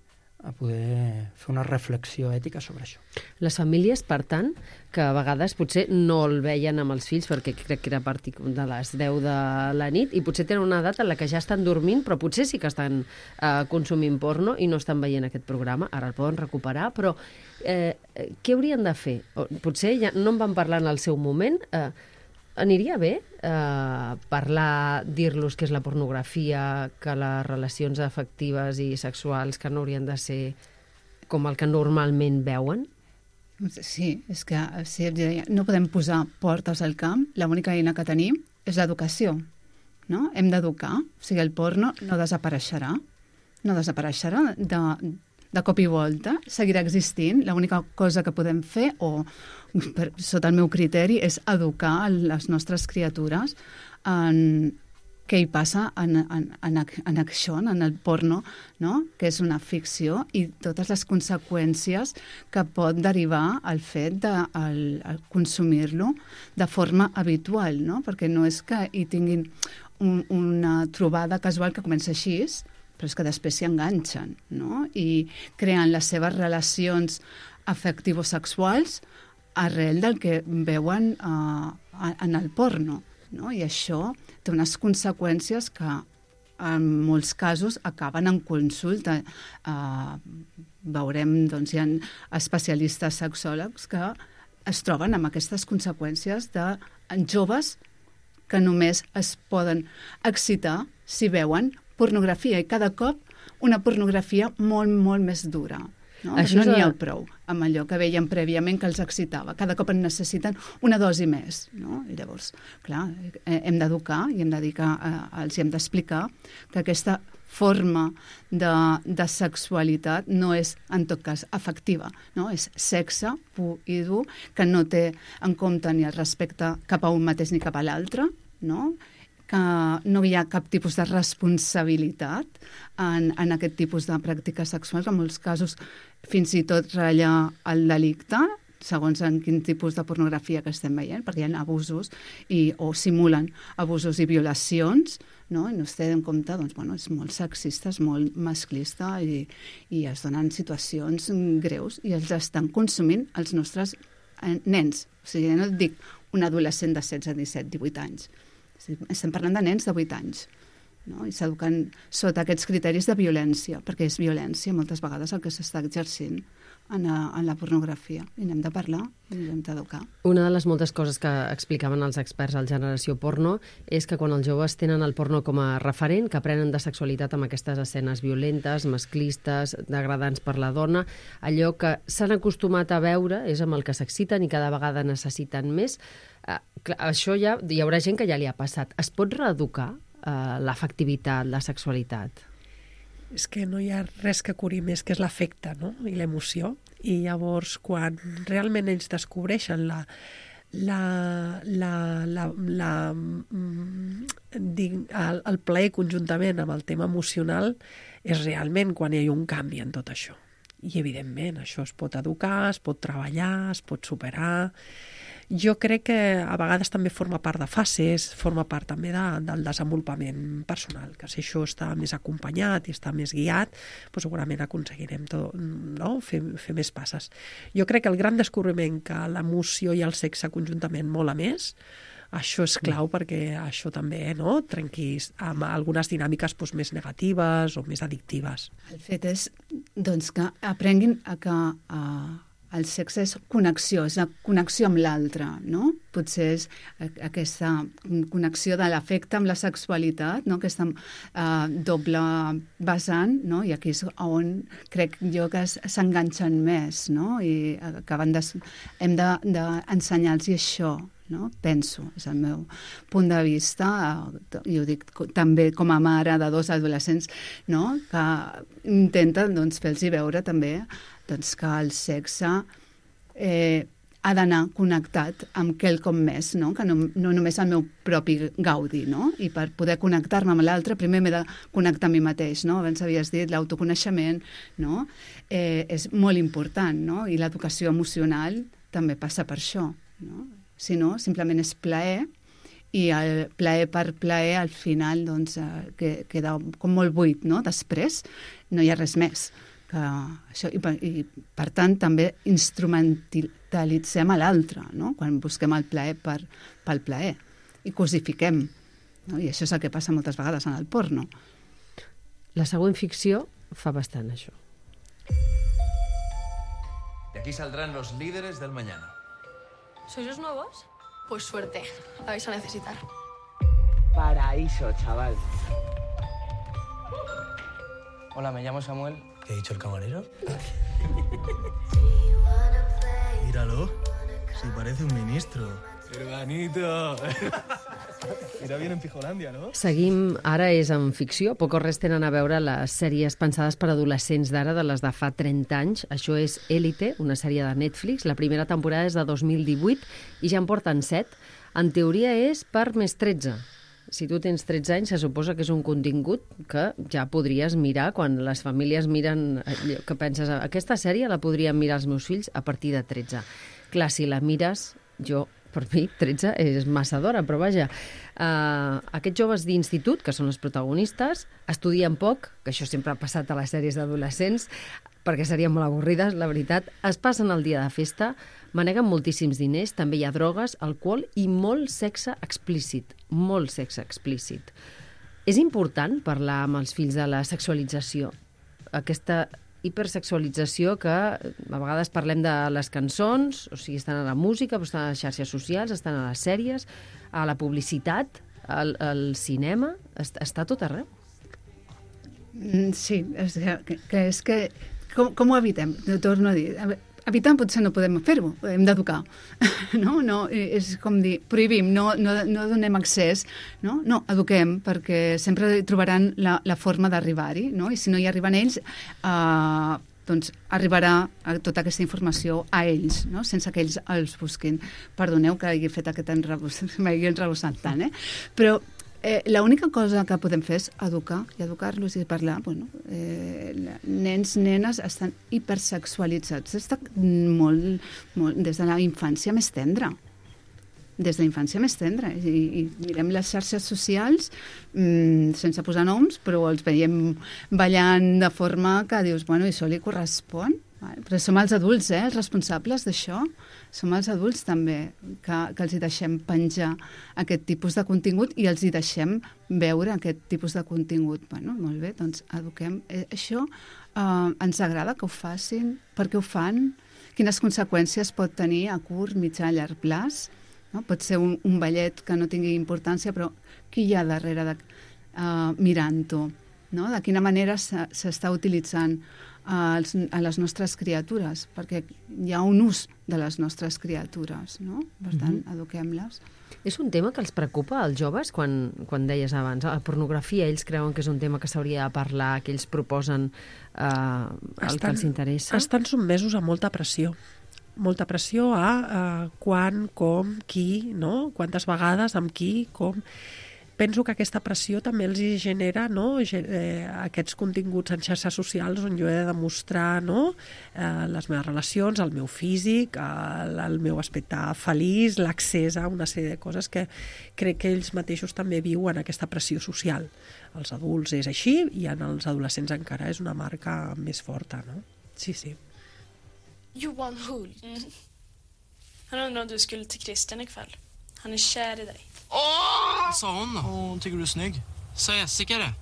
a poder fer una reflexió ètica sobre això. Les famílies, per tant, que a vegades potser no el veien amb els fills, perquè crec que era a partir de les 10 de la nit, i potser tenen una edat en la que ja estan dormint, però potser sí que estan consumint porno i no estan veient aquest programa, ara el poden recuperar, però què haurien de fer? Potser ja no en van parlar en el seu moment, aniria bé parlar, dir-los què és la pornografia, que les relacions afectives i sexuals que no haurien de ser com el que normalment veuen? Sí, és que no podem posar portes al camp, l'única eina que tenim és l'educació, no? Hem d'educar, o sigui, el porno no desapareixerà de cop i volta, seguirà existint. L'única cosa que podem fer, sota el meu criteri, és educar les nostres criatures en què hi passa en això, en el porno, no? Que és una ficció, i totes les conseqüències que pot derivar el fet de consumir-lo de forma habitual, no? Perquè no és que hi tinguin una trobada casual que comença així, però és que després s'hi enganxen, no? I creen les seves relacions afectivo-sexuals arrel del que veuen en el porno, no? I això té unes conseqüències que en molts casos acaben en consulta. Veurem, doncs, hi ha especialistes sexòlegs que es troben amb aquestes conseqüències de joves que només es poden excitar si veuen pornografia, i cada cop una pornografia molt, molt més dura. No n'hi ha prou amb allò que veien prèviament que els excitava. Cada cop en necessiten una dosi més, no? I llavors, clar, hem d'educar i hem de dir que els hem d'explicar que aquesta forma de sexualitat no és, en tot cas, afectiva, no? És sexe pur i dur, que no té en compte ni el respecte cap a un mateix ni cap a l'altre, no? Que no hi ha cap tipus de responsabilitat en aquest tipus de pràctiques sexuals, en molts casos fins i tot ratlla el delicte, segons en quin tipus de pornografia que estem veient, perquè hi ha abusos o simulen abusos i violacions, no? I no es té en compte, doncs, bueno, és molt sexista, és molt masclista i es donen situacions greus i els estan consumint els nostres nens. O sigui, no et dic un adolescent de 16, 17, 18 anys. Estem parlant de nens de 8 anys, no? I s'eduquen sota aquests criteris de violència, perquè és violència moltes vegades el que s'està exercint en la pornografia. I n'hem de parlar i n'hem d'educar. Una de les moltes coses que explicaven els experts al Generació Porno és que quan els joves tenen el porno com a referent, que aprenen de sexualitat amb aquestes escenes violentes, masclistes, degradants per la dona, allò que s'han acostumat a veure és amb el que s'exciten i cada vegada necessiten més. Això ja hi haurà gent que ja li ha passat. Es pot reeducar l'afectivitat, la sexualitat? És que no hi ha res que curi més que és l'afecte, no? I l'emoció. I llavors, quan realment ells descobreixen el plaer conjuntament amb el tema emocional, és realment quan hi ha un canvi en tot això. I, evidentment, això es pot educar, es pot treballar, es pot superar. Jo crec que a vegades també forma part de fases, forma part també del desenvolupament personal, que si això està més acompanyat i està més guiat, doncs segurament aconseguirem fer més passes. Jo crec que el gran descobriment que l'emoció i el sexe conjuntament mola més, això és clau perquè això també trenqui amb algunes dinàmiques més negatives o més addictives. El fet és que aprenguin a que el sexe és connexió, és la connexió amb l'altre, no? Potser és aquesta connexió de l'afecte amb la sexualitat, no? Aquesta doble vessant, no? I aquí és on crec jo que s'enganxen més, no? I hem d'ensenyar-los això, no? Penso, és el meu punt de vista, i ho dic també com a mare de 2 adolescents, no? Que intenten fer-los veure també que el sexe ha d'anar connectat amb quelcom més, no? Que no només el meu propi gaudi, no? I per poder connectar-me amb l'altre, primer m'he de connectar amb mi mateix, no? Abans havies dit l'autoconeixement, no? És molt important, no? I l'educació emocional també passa per això, no? Si no, simplement és plaer, i el plaer per plaer, al final, doncs, queda com molt buit, no? Després no hi ha res més. Que això, i per tant també instrumentalitzem a l'altre, no? Quan busquem el plaer pel plaer i cosifiquem, no? I això és el que passa moltes vegades en el porno. La següent ficció fa bastant això. De aquí saldrán los líderes del mañana. ¿Sois los nuevos? Pues suerte, la vais a necesitar. Paraíso, chaval. Hola, me llamo Samuel. ¿Qué ha dicho el camarero? Míralo. Sí, parece un ministro. Hermanito. Irà bien en Fijolandia, no? Seguim, ara és en ficció, poc o res tenen a veure les sèries pensades per adolescents d'ara de les de fa 30 anys. Això és Élite, una sèrie de Netflix. La primera temporada és de 2018 i ja en porten 7. En teoria és per més 13. Si tu tens 13 anys, se suposa que és un contingut que ja podries mirar quan les famílies miren, que penses, aquesta sèrie la podrien mirar els meus fills a partir de 13. Clar, si la mires, per mi, 13 és massa d'hora, però vaja. Aquests joves d'institut, que són els protagonistes, estudien poc, que això sempre ha passat a les sèries d'adolescents, perquè serien molt avorrides, la veritat. Es passen el dia de festa, maneguen moltíssims diners, també hi ha drogues, alcohol i molt sexe explícit. Molt sexe explícit. És important parlar amb els fills de la sexualització, aquesta hipersexualització que a vegades parlem de les cançons, o sigui, estan a la música, però estan a les xarxes socials, estan a les sèries, a la publicitat, al cinema, està tot arreu. Sí, és que com ho evitem? Torno a dir, evitant potser no podem fer-ho, hem d'educar, no? És com dir, prohibim, no donem accés, no, eduquem, perquè sempre trobaran la forma d'arribar-hi, no? I si no hi arriben ells, doncs arribarà tota aquesta informació a ells, no? Sense que ells els busquin. Perdoneu que hagi fet aquest m'hagi enrebossat tant, però l'única cosa que podem fer és educar i educar-los i parlar. Nens, nenes estan hipersexualitzats des de la infància més tendra. Des de la infància més tendra. I mirem les xarxes socials sense posar noms, però els veiem ballant de forma que dius, bueno, i això li correspon? Però som els adults, els responsables d'això. Som els adults també que els hi deixem penjar aquest tipus de contingut i els hi deixem veure aquest tipus de contingut. Bueno, molt bé, doncs eduquem. Això ens agrada que ho facin, per què ho fan, quines conseqüències pot tenir a curt, mitjà, llarg plaç. No? Pot ser un ballet que no tingui importància, però qui hi ha darrere mirant-ho? No? De quina manera s'està utilitzant a les nostres criatures, perquè hi ha un ús de les nostres criatures, no? Per tant, eduquem-les. És un tema que els preocupa als joves, quan deies abans, la pornografia, ells creuen que és un tema que s'hauria de parlar, que ells proposen el que els interessa? Estan sotmesos a molta pressió a quan, com, qui, no? Quantes vegades, amb qui, com. Penso que aquesta pressió també els genera, no? Aquests continguts en xarxes socials on jo he de demostrar, no? Les meves relacions, el meu físic, el meu aspecte feliç, l'accés a una sèrie de coses que crec que ells mateixos també viuen aquesta pressió social. Els adults és així i en els adolescents encara és una marca més forta, no? Sí. Johan Hult. Han undrar om du skulle till Christian ikväll. Han är kär i dig. Vad sa hon då? Hon tycker du är snygg. Sa Jessica det?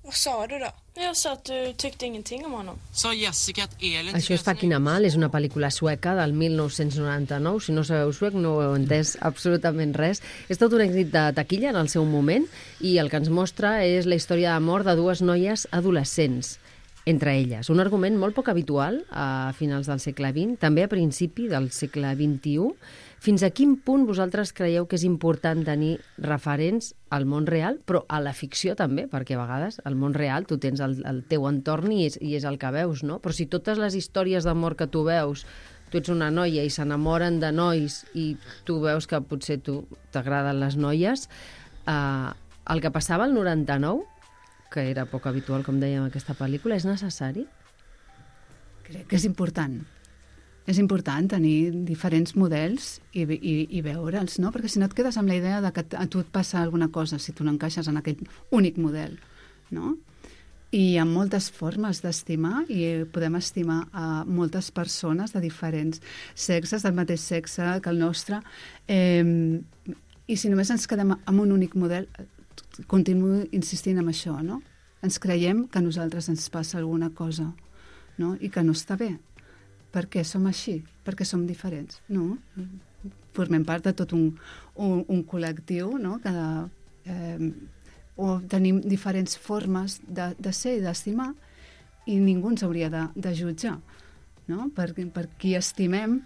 Vad sa du då? Jag sa att du tyckte ingenting om honom. Sa Jessica att Elin... Això és Fucking Amal, és una pel·lícula sueca del 1999. Si no sabeu suec no heu entès absolutament res. És tot un èxit de taquilla en el seu moment i el que ens mostra és la història d'amor de dues noies adolescents entre elles. Un argument molt poc habitual a finals del segle XX, també a principi del segle XXI. Fins a quin punt vosaltres creieu que és important tenir referents al món real, però a la ficció també, perquè a vegades al món real tu tens el teu entorn i és el que veus, no? Però si totes les històries d'amor que tu veus tu ets una noia i s'enamoren de nois i tu veus que potser tu t'agraden les noies, el que passava al 99, que era poc habitual, com dèiem, aquesta pel·lícula, és necessari? Crec que és important. És important tenir diferents models i veure'ls, no? Perquè si no et quedes amb la idea de que a tu et passa alguna cosa si tu no encaixes en aquell únic model, no? I hi ha moltes formes d'estimar i podem estimar a moltes persones de diferents sexes, del mateix sexe que el nostre. I si només ens quedem amb un únic model, continuo insistint en això, no? Ens creiem que a nosaltres ens passa alguna cosa, no? I que no està bé. Per què som així? Perquè som diferents, no? Formem part de tot un col·lectiu, no? O tenim diferents formes de ser i d'estimar i ningú ens hauria de jutjar, no? Per qui estimem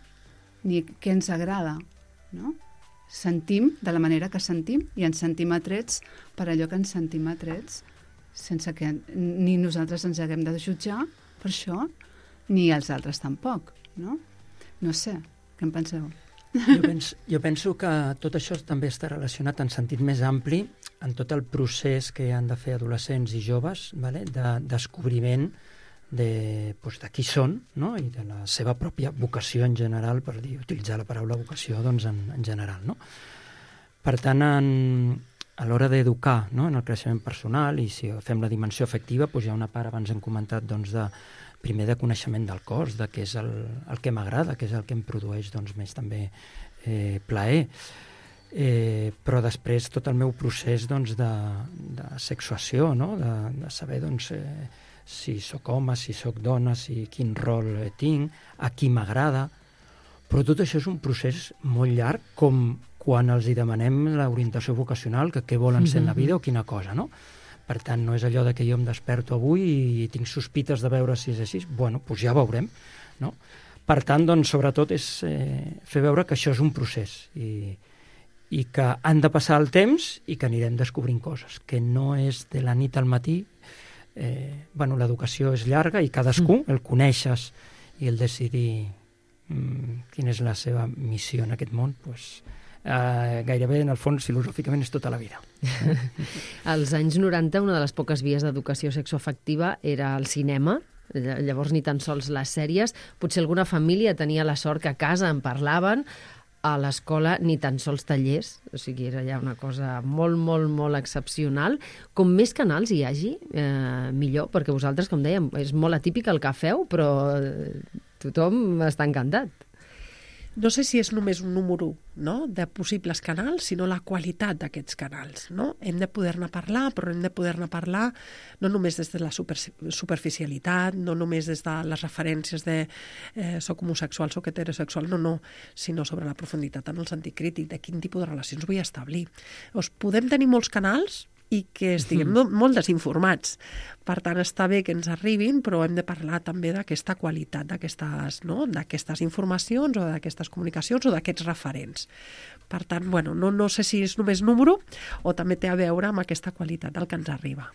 ni què ens agrada, no? Sentim de la manera que sentim i ens sentim atrets per allò que ens sentim atrets sense que ni nosaltres ens haguem de jutjar per això ni els altres tampoc, no? No sé, què en penseu? Jo penso que tot això també està relacionat en sentit més ampli en tot el procés que han de fer adolescents i joves, vale? De descobriment de qui són, no? I de la seva pròpia vocació en general, per utilitzar la paraula vocació doncs, en general. No? Per tant, a l'hora d'educar, no? En el creixement personal, i si fem la dimensió afectiva, doncs hi ha una part, abans hem comentat, doncs, primer de coneixement del cos, de què és el que m'agrada, què és el que em produeix doncs, més també plaer. Però després tot el meu procés doncs, de sexuació, no? De saber doncs, si sóc home, si sóc dona, quin rol tinc, a qui m'agrada. Però tot això és un procés molt llarg, com quan els hi demanem l'orientació vocacional, que què volen ser en la vida o quina cosa, no? Per tant, no és allò de que jo em desperto avui i tinc sospites de veure si és així. Bueno, doncs ja veurem, no? Per tant, doncs, sobretot és fer veure que això és un procés i que han de passar el temps i que anirem descobrint coses, que no és de la nit al matí. L'educació és llarga i cadascú, el coneixes i el decidir quina és la seva missió en aquest món, doncs gairebé, en el fons, filosòficament és tota la vida. Als anys 90, una de les poques vies d'educació sexoafectiva era el cinema, llavors ni tan sols les sèries. Potser alguna família tenia la sort que a casa en parlaven, a l'escola ni tan sols tallers, o sigui, era ja una cosa molt, molt, molt excepcional. Com més canals hi hagi, millor, perquè vosaltres, com dèiem, és molt atípic el que feu, però tothom està encantat. No sé si és només un número, no?, de possibles canals, sinó la qualitat d'aquests canals, no? Hem de poder-ne parlar, però hem de poder-ne parlar no només des de la superficialitat, no només des de les referències de soc homosexual, soc heterosexual, no, sinó sobre la profunditat en el sentit crític, de quin tipus de relacions vull establir. Podem tenir molts canals i que estiguem molt desinformats. Per tant, està bé que ens arribin, però hem de parlar també d'aquesta qualitat, d'aquestes informacions o d'aquestes comunicacions o d'aquests referents. Per tant, no sé si és només número o també té a veure amb aquesta qualitat del que ens arriba.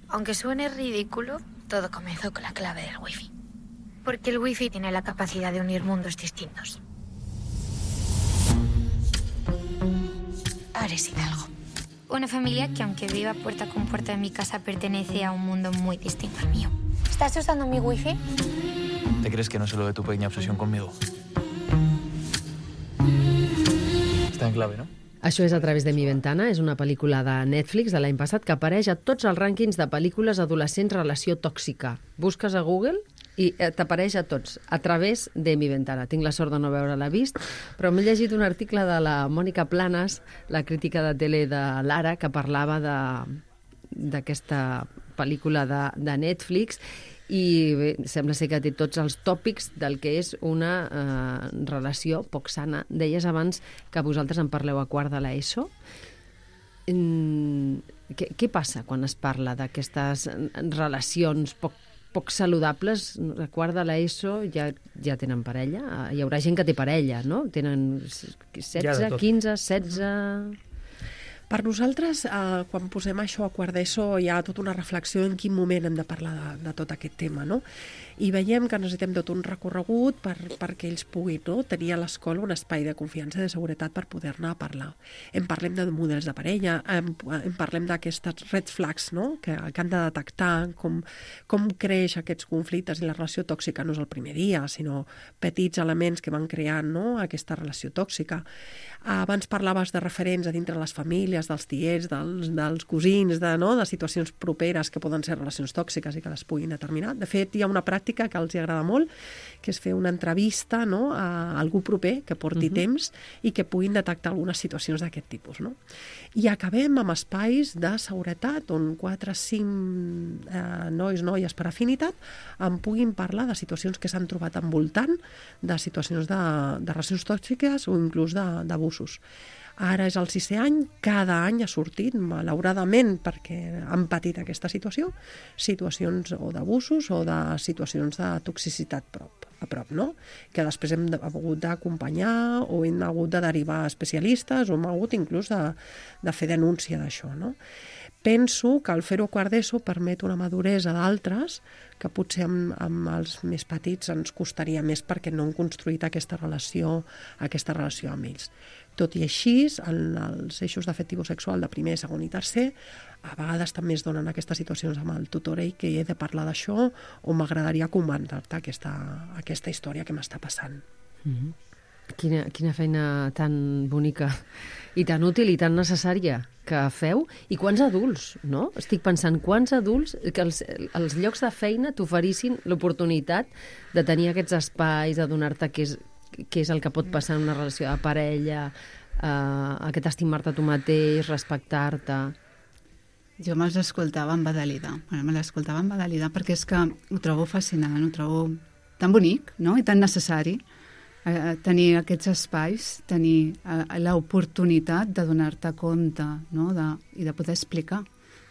Aunque suene ridículo, todo comenzó con la clave del wifi. Porque el wifi tiene la capacidad de unir mundos distintos. Ares Hidalgo. Una familia que, aunque viva puerta con puerta de mi casa, pertenece a un mundo muy distinto al mío. ¿Estás usando mi wifi? ¿Te crees que no sé lo de tu pequeña obsesión conmigo? Està en clave, no? Això és A través de mi ventana, és una pel·lícula de Netflix de l'any passat que apareix a tots els rànquings de pel·lícules adolescents relació tòxica. Busques a Google i t'apareix a tots, A través de mi ventana. Tinc la sort de no veure-la vist, però m'he llegit un article de la Mònica Planas, la crítica de tele de l'Ara, que parlava d'aquesta pel·lícula de Netflix, i bé, sembla ser que té tots els tòpics del que és una relació poc sana. Deies abans que vosaltres en parleu a quart de l'ESO. Què passa quan es parla d'aquestes relacions poc saludables? A quart de l'ESO ja tenen parella? Hi haurà gent que té parella, no? Tenen 16, 15, 16... Per nosaltres, quan posem això a quart d'ESO, hi ha tota una reflexió en quin moment hem de parlar de tot aquest tema, no? I veiem que necessitem tot un recorregut perquè ells puguin, no, tenir a l'escola un espai de confiança i de seguretat per poder-ne parlar. Parlem de models de parella, parlem d'aquestes red flags, no?, que han de detectar com creix aquests conflictes, i la relació tòxica no és el primer dia, sinó petits elements que van creant, no?, aquesta relació tòxica. Abans parlaves de referents a dintre les famílies, dels tiets, dels cosins, de situacions properes que poden ser relacions tòxiques i que les puguin determinar. De fet, hi ha una pràctica que els agrada molt, que és fer una entrevista, no?, a algú proper que porti temps i que puguin detectar algunes situacions d'aquest tipus, no? I acabem amb espais de seguretat on 4 o 5 noies per afinitat en puguin parlar de situacions que s'han trobat envoltant, de situacions de relacions tòxiques o inclús d'abusos. Ara és el 6è any, cada any ha sortit, malauradament, perquè han patit aquesta situació, situacions o d'abusos o de situacions de toxicitat a prop, no?, que després hem hagut d'acompanyar o hem hagut de derivar a especialistes o hem hagut inclús de fer denúncia d'això, no? Penso que el fer-ho a quart d'ESO permet una maduresa d'altres que potser amb els més petits ens costaria més perquè no hem construït aquesta relació amb ells. Tot i així, en els eixos d'afectivo-sexual de primer, segon i tercer, a vegades també es donen aquestes situacions amb el tutor i que he de parlar d'això o m'agradaria comentar-te aquesta història que m'està passant. Quina feina tan bonica i tan útil i tan necessària que feu. I quants adults, no? Estic pensant, quants adults que els llocs de feina t'oferissin l'oportunitat de tenir aquests espais, de donar-te què és el que pot passar en una relació de parella, aquest estimar-te tu mateix, respectar-te. Jo me'ls escoltava embadalida. Me l'escoltava embadalida perquè és que ho trobo fascinant, ho trobo tan bonic, no?, i tan necessari. Tenir aquests espais, tenir l'oportunitat de donar-te compte, no?, i de poder explicar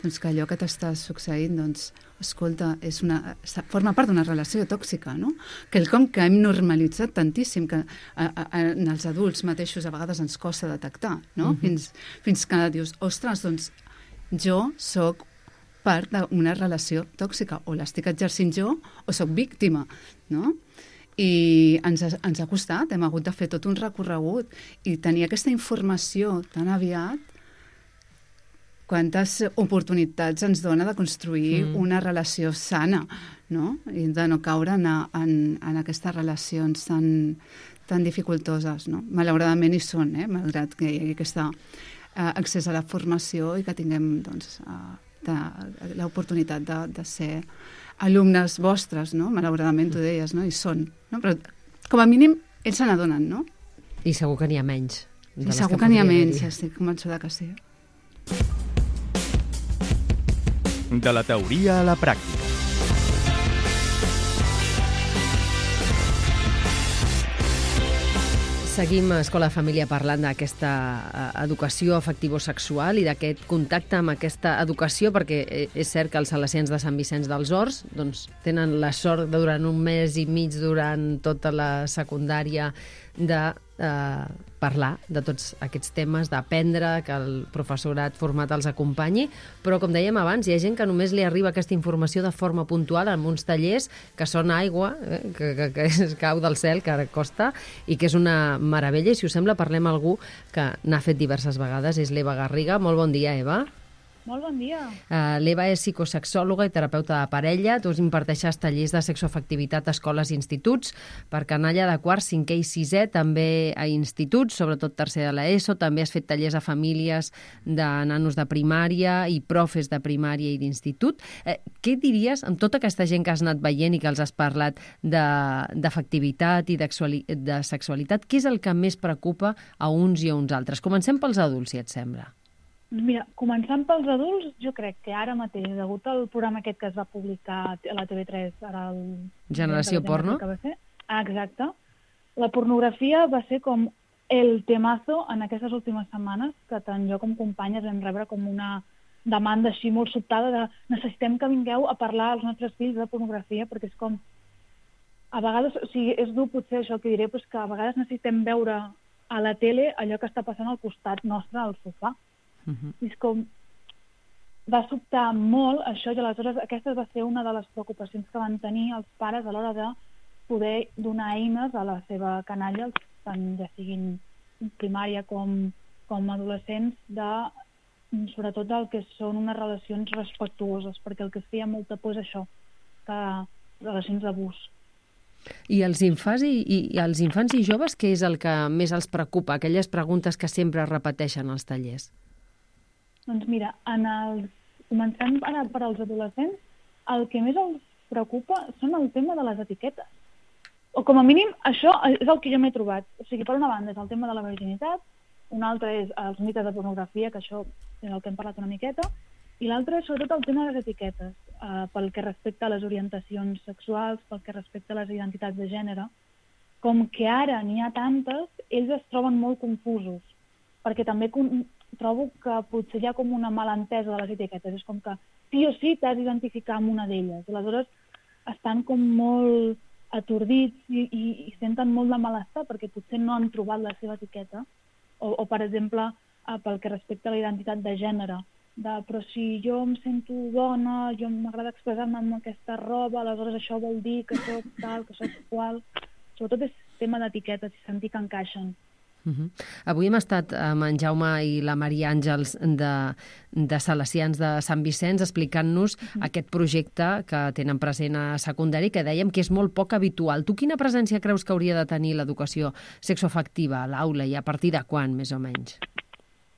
que allò que t'està succeint, escolta, forma part d'una relació tòxica, no? Quelcom que hem normalitzat tantíssim, que en els adults mateixos a vegades ens costa detectar, no? Fins que dius, ostres, jo sóc part d'una relació tòxica, o l'estic exercint jo, o sóc víctima, no? I ens ha costat, hem hagut de fer tot un recorregut i tenir aquesta informació tan aviat, quantes oportunitats ens dona de construir una relació sana, no? I de no caure en aquestes relacions tan dificultoses, no? Malauradament hi són, malgrat que hi hagi aquest accés a la formació i que tinguem l'oportunitat de ser alumnes vostres, no? Malauradament tu deies, no? I són, no? Però com a mínim ells se n'adonen, no? I segur que n'hi ha menys. I segur que n'hi ha menys, estic convençuda que sí. De la teoria a la pràctica. Seguim a Escola Família parlant d'aquesta educació afectivo-sexual i d'aquest contacte amb aquesta educació, perquè és cert que els salesians de Sant Vicenç dels Horts tenen la sort de durant un mes i mig durant tota la secundària de parlar de tots aquests temes, d'aprendre, que el professorat format els acompanyi, però com dèiem abans, hi ha gent que només li arriba aquesta informació de forma puntual en uns tallers que són aigua, que es cau del cel, que costa, i que és una meravella, i si us sembla parlem amb algú que n'ha fet diverses vegades, és l'Eva Garriga. Molt bon dia, Eva. Molt bon dia. L'Eva és psicosexòloga i terapeuta de parella. Tu imparteixes tallers de sexoafectivitat a escoles i instituts per canalla de quart, 5è i 6è, també a instituts, sobretot tercer de l'ESO. També has fet tallers a famílies de nanos de primària i profes de primària i d'institut. Què diries, amb tota aquesta gent que has anat veient i que els has parlat d'afectivitat i de sexualitat, què és el que més preocupa a uns i a uns altres? Comencem pels adults, si et sembla. Mira, començant pels adults, jo crec que ara mateix, degut al programa aquest que es va publicar a la TV3, ara el... Generació Porno? Exacte. La pornografia va ser com el temazo en aquestes últimes setmanes, que tant jo com companyes vam rebre com una demanda així molt sobtada de necessitem que vingueu a parlar als nostres fills de pornografia, perquè és com... A vegades, o sigui, és dur potser això que diré, però és que a vegades necessitem veure a la tele allò que està passant al costat nostre, al sofà. I és com... Va sobtar molt això, i aleshores aquesta va ser una de les preocupacions que van tenir els pares a l'hora de poder donar eines a la seva canalla, tant ja siguin primària com adolescents, sobretot del que són unes relacions respectuoses, perquè el que es feia molta por és això, que relacions d'abús. I els infants i joves, què és el que més els preocupa? Aquelles preguntes que sempre es repeteixen als tallers. Doncs mira, començant ara per als adolescents, el que més els preocupa són el tema de les etiquetes. O com a mínim, això és el que jo m'he trobat. O sigui, per una banda és el tema de la virginitat, un altre és els mites de pornografia, que això és el que hem parlat una miqueta, i l'altre és sobretot el tema de les etiquetes, pel que respecta a les orientacions sexuals, pel que respecta a les identitats de gènere. Com que ara n'hi ha tantes, ells es troben molt confusos, perquè també trobo que potser hi ha com una malentesa de les etiquetes. És com que sí o sí t'has d'identificar amb una d'elles. Aleshores estan com molt atordits i senten molt de malestar perquè potser no han trobat la seva etiqueta. O per exemple, pel que respecta a la identitat de gènere. Però si jo em sento dona, jo m'agrada expressar-me amb aquesta roba, aleshores això vol dir que soc tal, que soc qual... Sobretot és tema d'etiquetes i sentir que encaixen. Avui hem estat amb en Jaume i la Maria Àngels de Salesians de Sant Vicenç explicant-nos aquest projecte que tenen present a secundari, que dèiem que és molt poc habitual. Tu quina presència creus que hauria de tenir l'educació sexoafectiva a l'aula i a partir de quan, més o menys?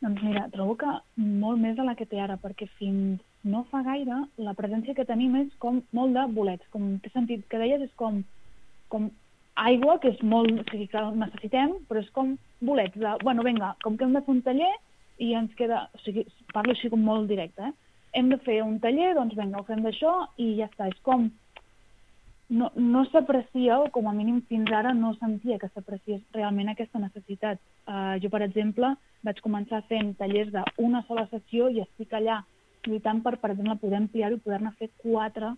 Doncs mira, trobo que molt més de la que té ara, perquè fins no fa gaire la presència que tenim és com molt de bolets. Com t'he sentit que deies, és com aigua, que és molt... O sigui, que necessitem, però és com bolets de... Bueno, vinga, com que hem de fer un taller i ens queda... O sigui, parlo així com molt directe, Hem de fer un taller, doncs vinga, ho fem d'això i ja està. És com... No s'aprecia, o com a mínim fins ara no sentia que s'apreciés realment aquesta necessitat. Jo, per exemple, vaig començar fent tallers d'una sola sessió i estic allà lluitant per exemple, poder ampliar-ho i poder-ne fer 4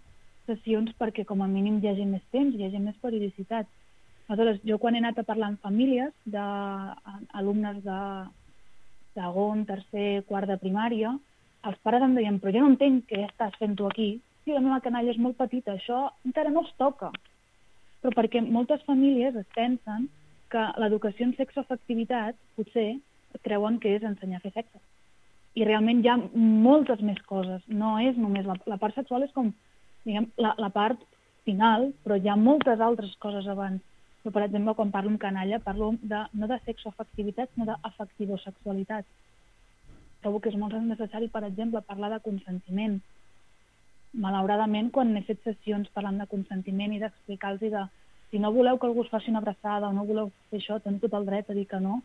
sessions perquè com a mínim hi hagi més temps, hi hagi més periodicitat. Aleshores, jo quan he anat a parlar amb famílies d'alumnes de segon, tercer, quart de primària, els pares em deien, però jo no entenc què estàs fent tu aquí. Sí, la meva canalla és molt petita, això encara no es toca. Però perquè moltes famílies es pensen que l'educació en sexoafectivitat potser creuen que és ensenyar a fer sexe. I realment hi ha moltes més coses. No és només... La part sexual és com, diguem, la part final, però hi ha moltes altres coses abans. Però, per exemple, quan parlo amb canalla, parlo no de sexoafectivitat, sinó d'afectivosexualitat. Trobo que és molt necessari, per exemple, parlar de consentiment. Malauradament, quan he fet sessions parlant de consentiment i d'explicar-los de si no voleu que algú us faci una abraçada o no voleu fer això, teniu tot el dret a dir que no.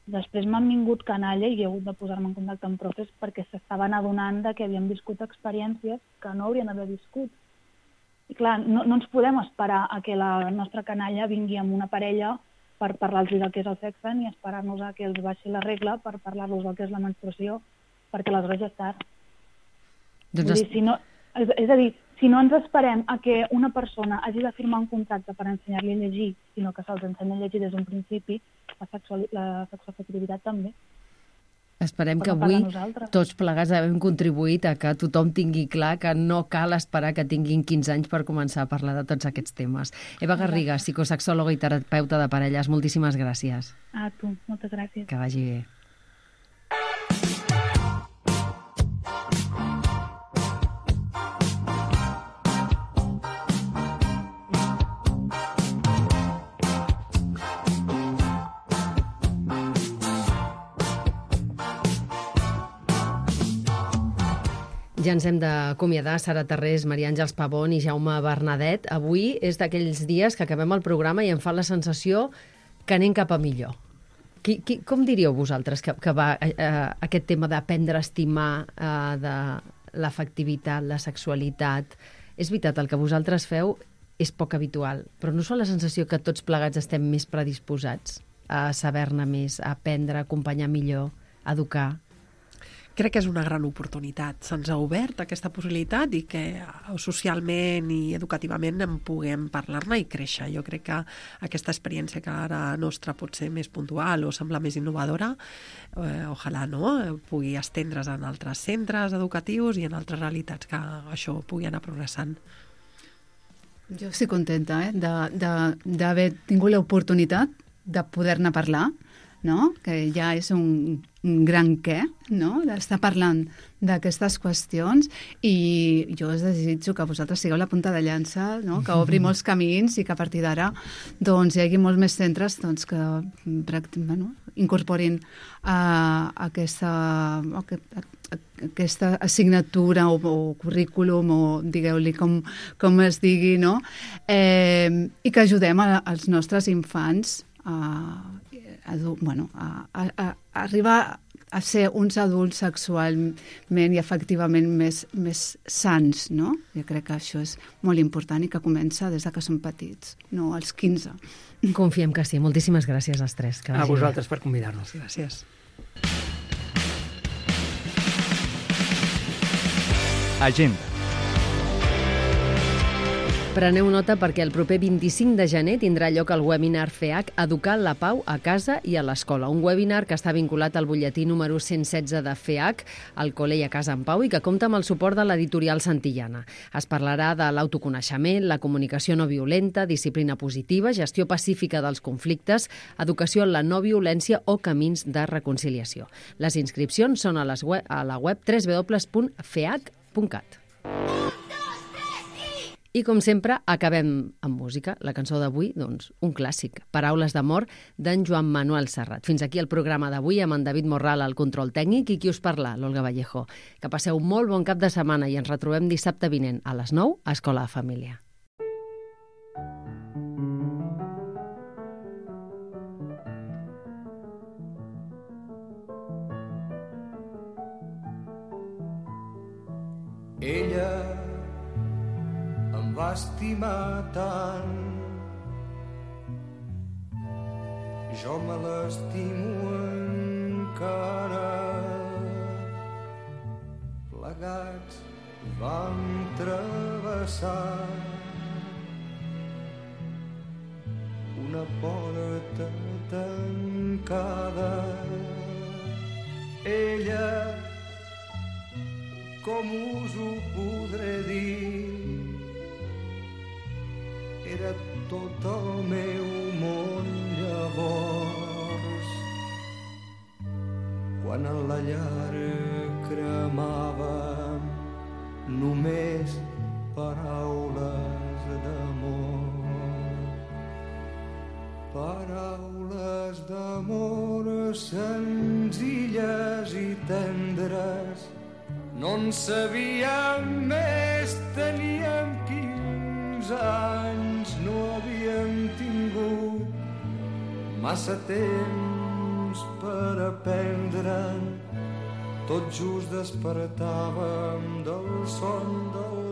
Després m'han vingut canalla i he hagut de posar-me en contacte amb profes perquè s'estaven adonant que havien viscut experiències que no haurien d'haver viscut. I clar, no ens podem esperar a que la nostra canalla vingui amb una parella per parlar-los del que és el sexe, ni esperar-nos a que els baixi la regla per parlar-los del que és la menstruació, perquè aleshores ja és tard. És a dir, si no ens esperem a que una persona hagi de firmar un contracte per ensenyar-li a llegir, sinó que se'ls ensenya a llegir des d'un principi, la sexoafectivitat també. Esperem que avui tots plegats hem contribuït a que tothom tingui clar que no cal esperar que tinguin 15 anys per començar a parlar de tots aquests temes. Eva Garriga, psicosexòloga i terapeuta de parelles, moltíssimes gràcies. A tu, moltes gràcies. Que vagi bé. Ja ens hem d'acomiadar, Sara Tarrés, Maria Àngels Pavón i Jaume Bernadet. Avui és d'aquells dies que acabem el programa i em fa la sensació que anem cap a millor. Com diríeu vosaltres que va aquest tema d'aprendre a estimar de l'afectivitat, la sexualitat? És veritat, el que vosaltres feu és poc habitual, però no us fa la sensació que tots plegats estem més predisposats a saber-ne més, a aprendre, a acompanyar millor, a educar? crec que és una gran oportunitat. Se'ns ha obert aquesta possibilitat i que socialment i educativament en puguem parlar-ne i créixer. Jo crec que aquesta experiència que ara nostra pot ser més puntual o sembla més innovadora, ojalà pugui estendre's en altres centres educatius i en altres realitats que això pugui anar progressant. Jo estic contenta d'haver tingut l'oportunitat de poder-ne parlar, no? Que ja és un gran què, no? D'estar parlant d'aquestes qüestions, i jo us desitjo que vosaltres sigueu la punta de llança, no? Que obri molts camins i que a partir d'ara hi hagi molts més centres que incorporin aquesta assignatura o currículum, o digueu-li com es digui, no? I que ajudem als nostres infants a arribar a ser uns adults sexualment i afectivament més sants, no? Jo crec que això és molt important i que comença des que som petits, no als 15. Confiem que sí. Moltíssimes gràcies als tres. A vosaltres per convidar-nos. Gràcies. Agenda. Preneu nota perquè el proper 25 de gener tindrà lloc el webinar FEAC Educar la Pau a casa i a l'escola. Un webinar que està vinculat al butlletí número 116 de FEAC, al Col·le i a Casa en Pau, i que compta amb el suport de l'editorial Santillana. Es parlarà de l'autoconeixement, la comunicació no violenta, disciplina positiva, gestió pacífica dels conflictes, educació en la no violència o camins de reconciliació. Les inscripcions són a la web www.feac.cat. I, com sempre, acabem amb música. La cançó d'avui, doncs, un clàssic. Paraules d'amor, d'en Joan Manuel Serrat. Fins aquí el programa d'avui amb en David Morral al control tècnic i qui us parla, l'Olga Vallejo. Que passeu molt bon cap de setmana i ens retrobem dissabte vinent a les 9 a Escola de Família. Ella va estimar tant, jo me l'estimo encara. Plegats vam travessar una porta tancada. Ella, com us ho podré dir, era tot el meu món llavors, quan en la llar cremava només paraules d'amor. Paraules d'amor senzilles i tendres, no en sabíem més, teníem 15 anys, no havíem tingut massa temps per aprendre. Tot just despertàvem del son del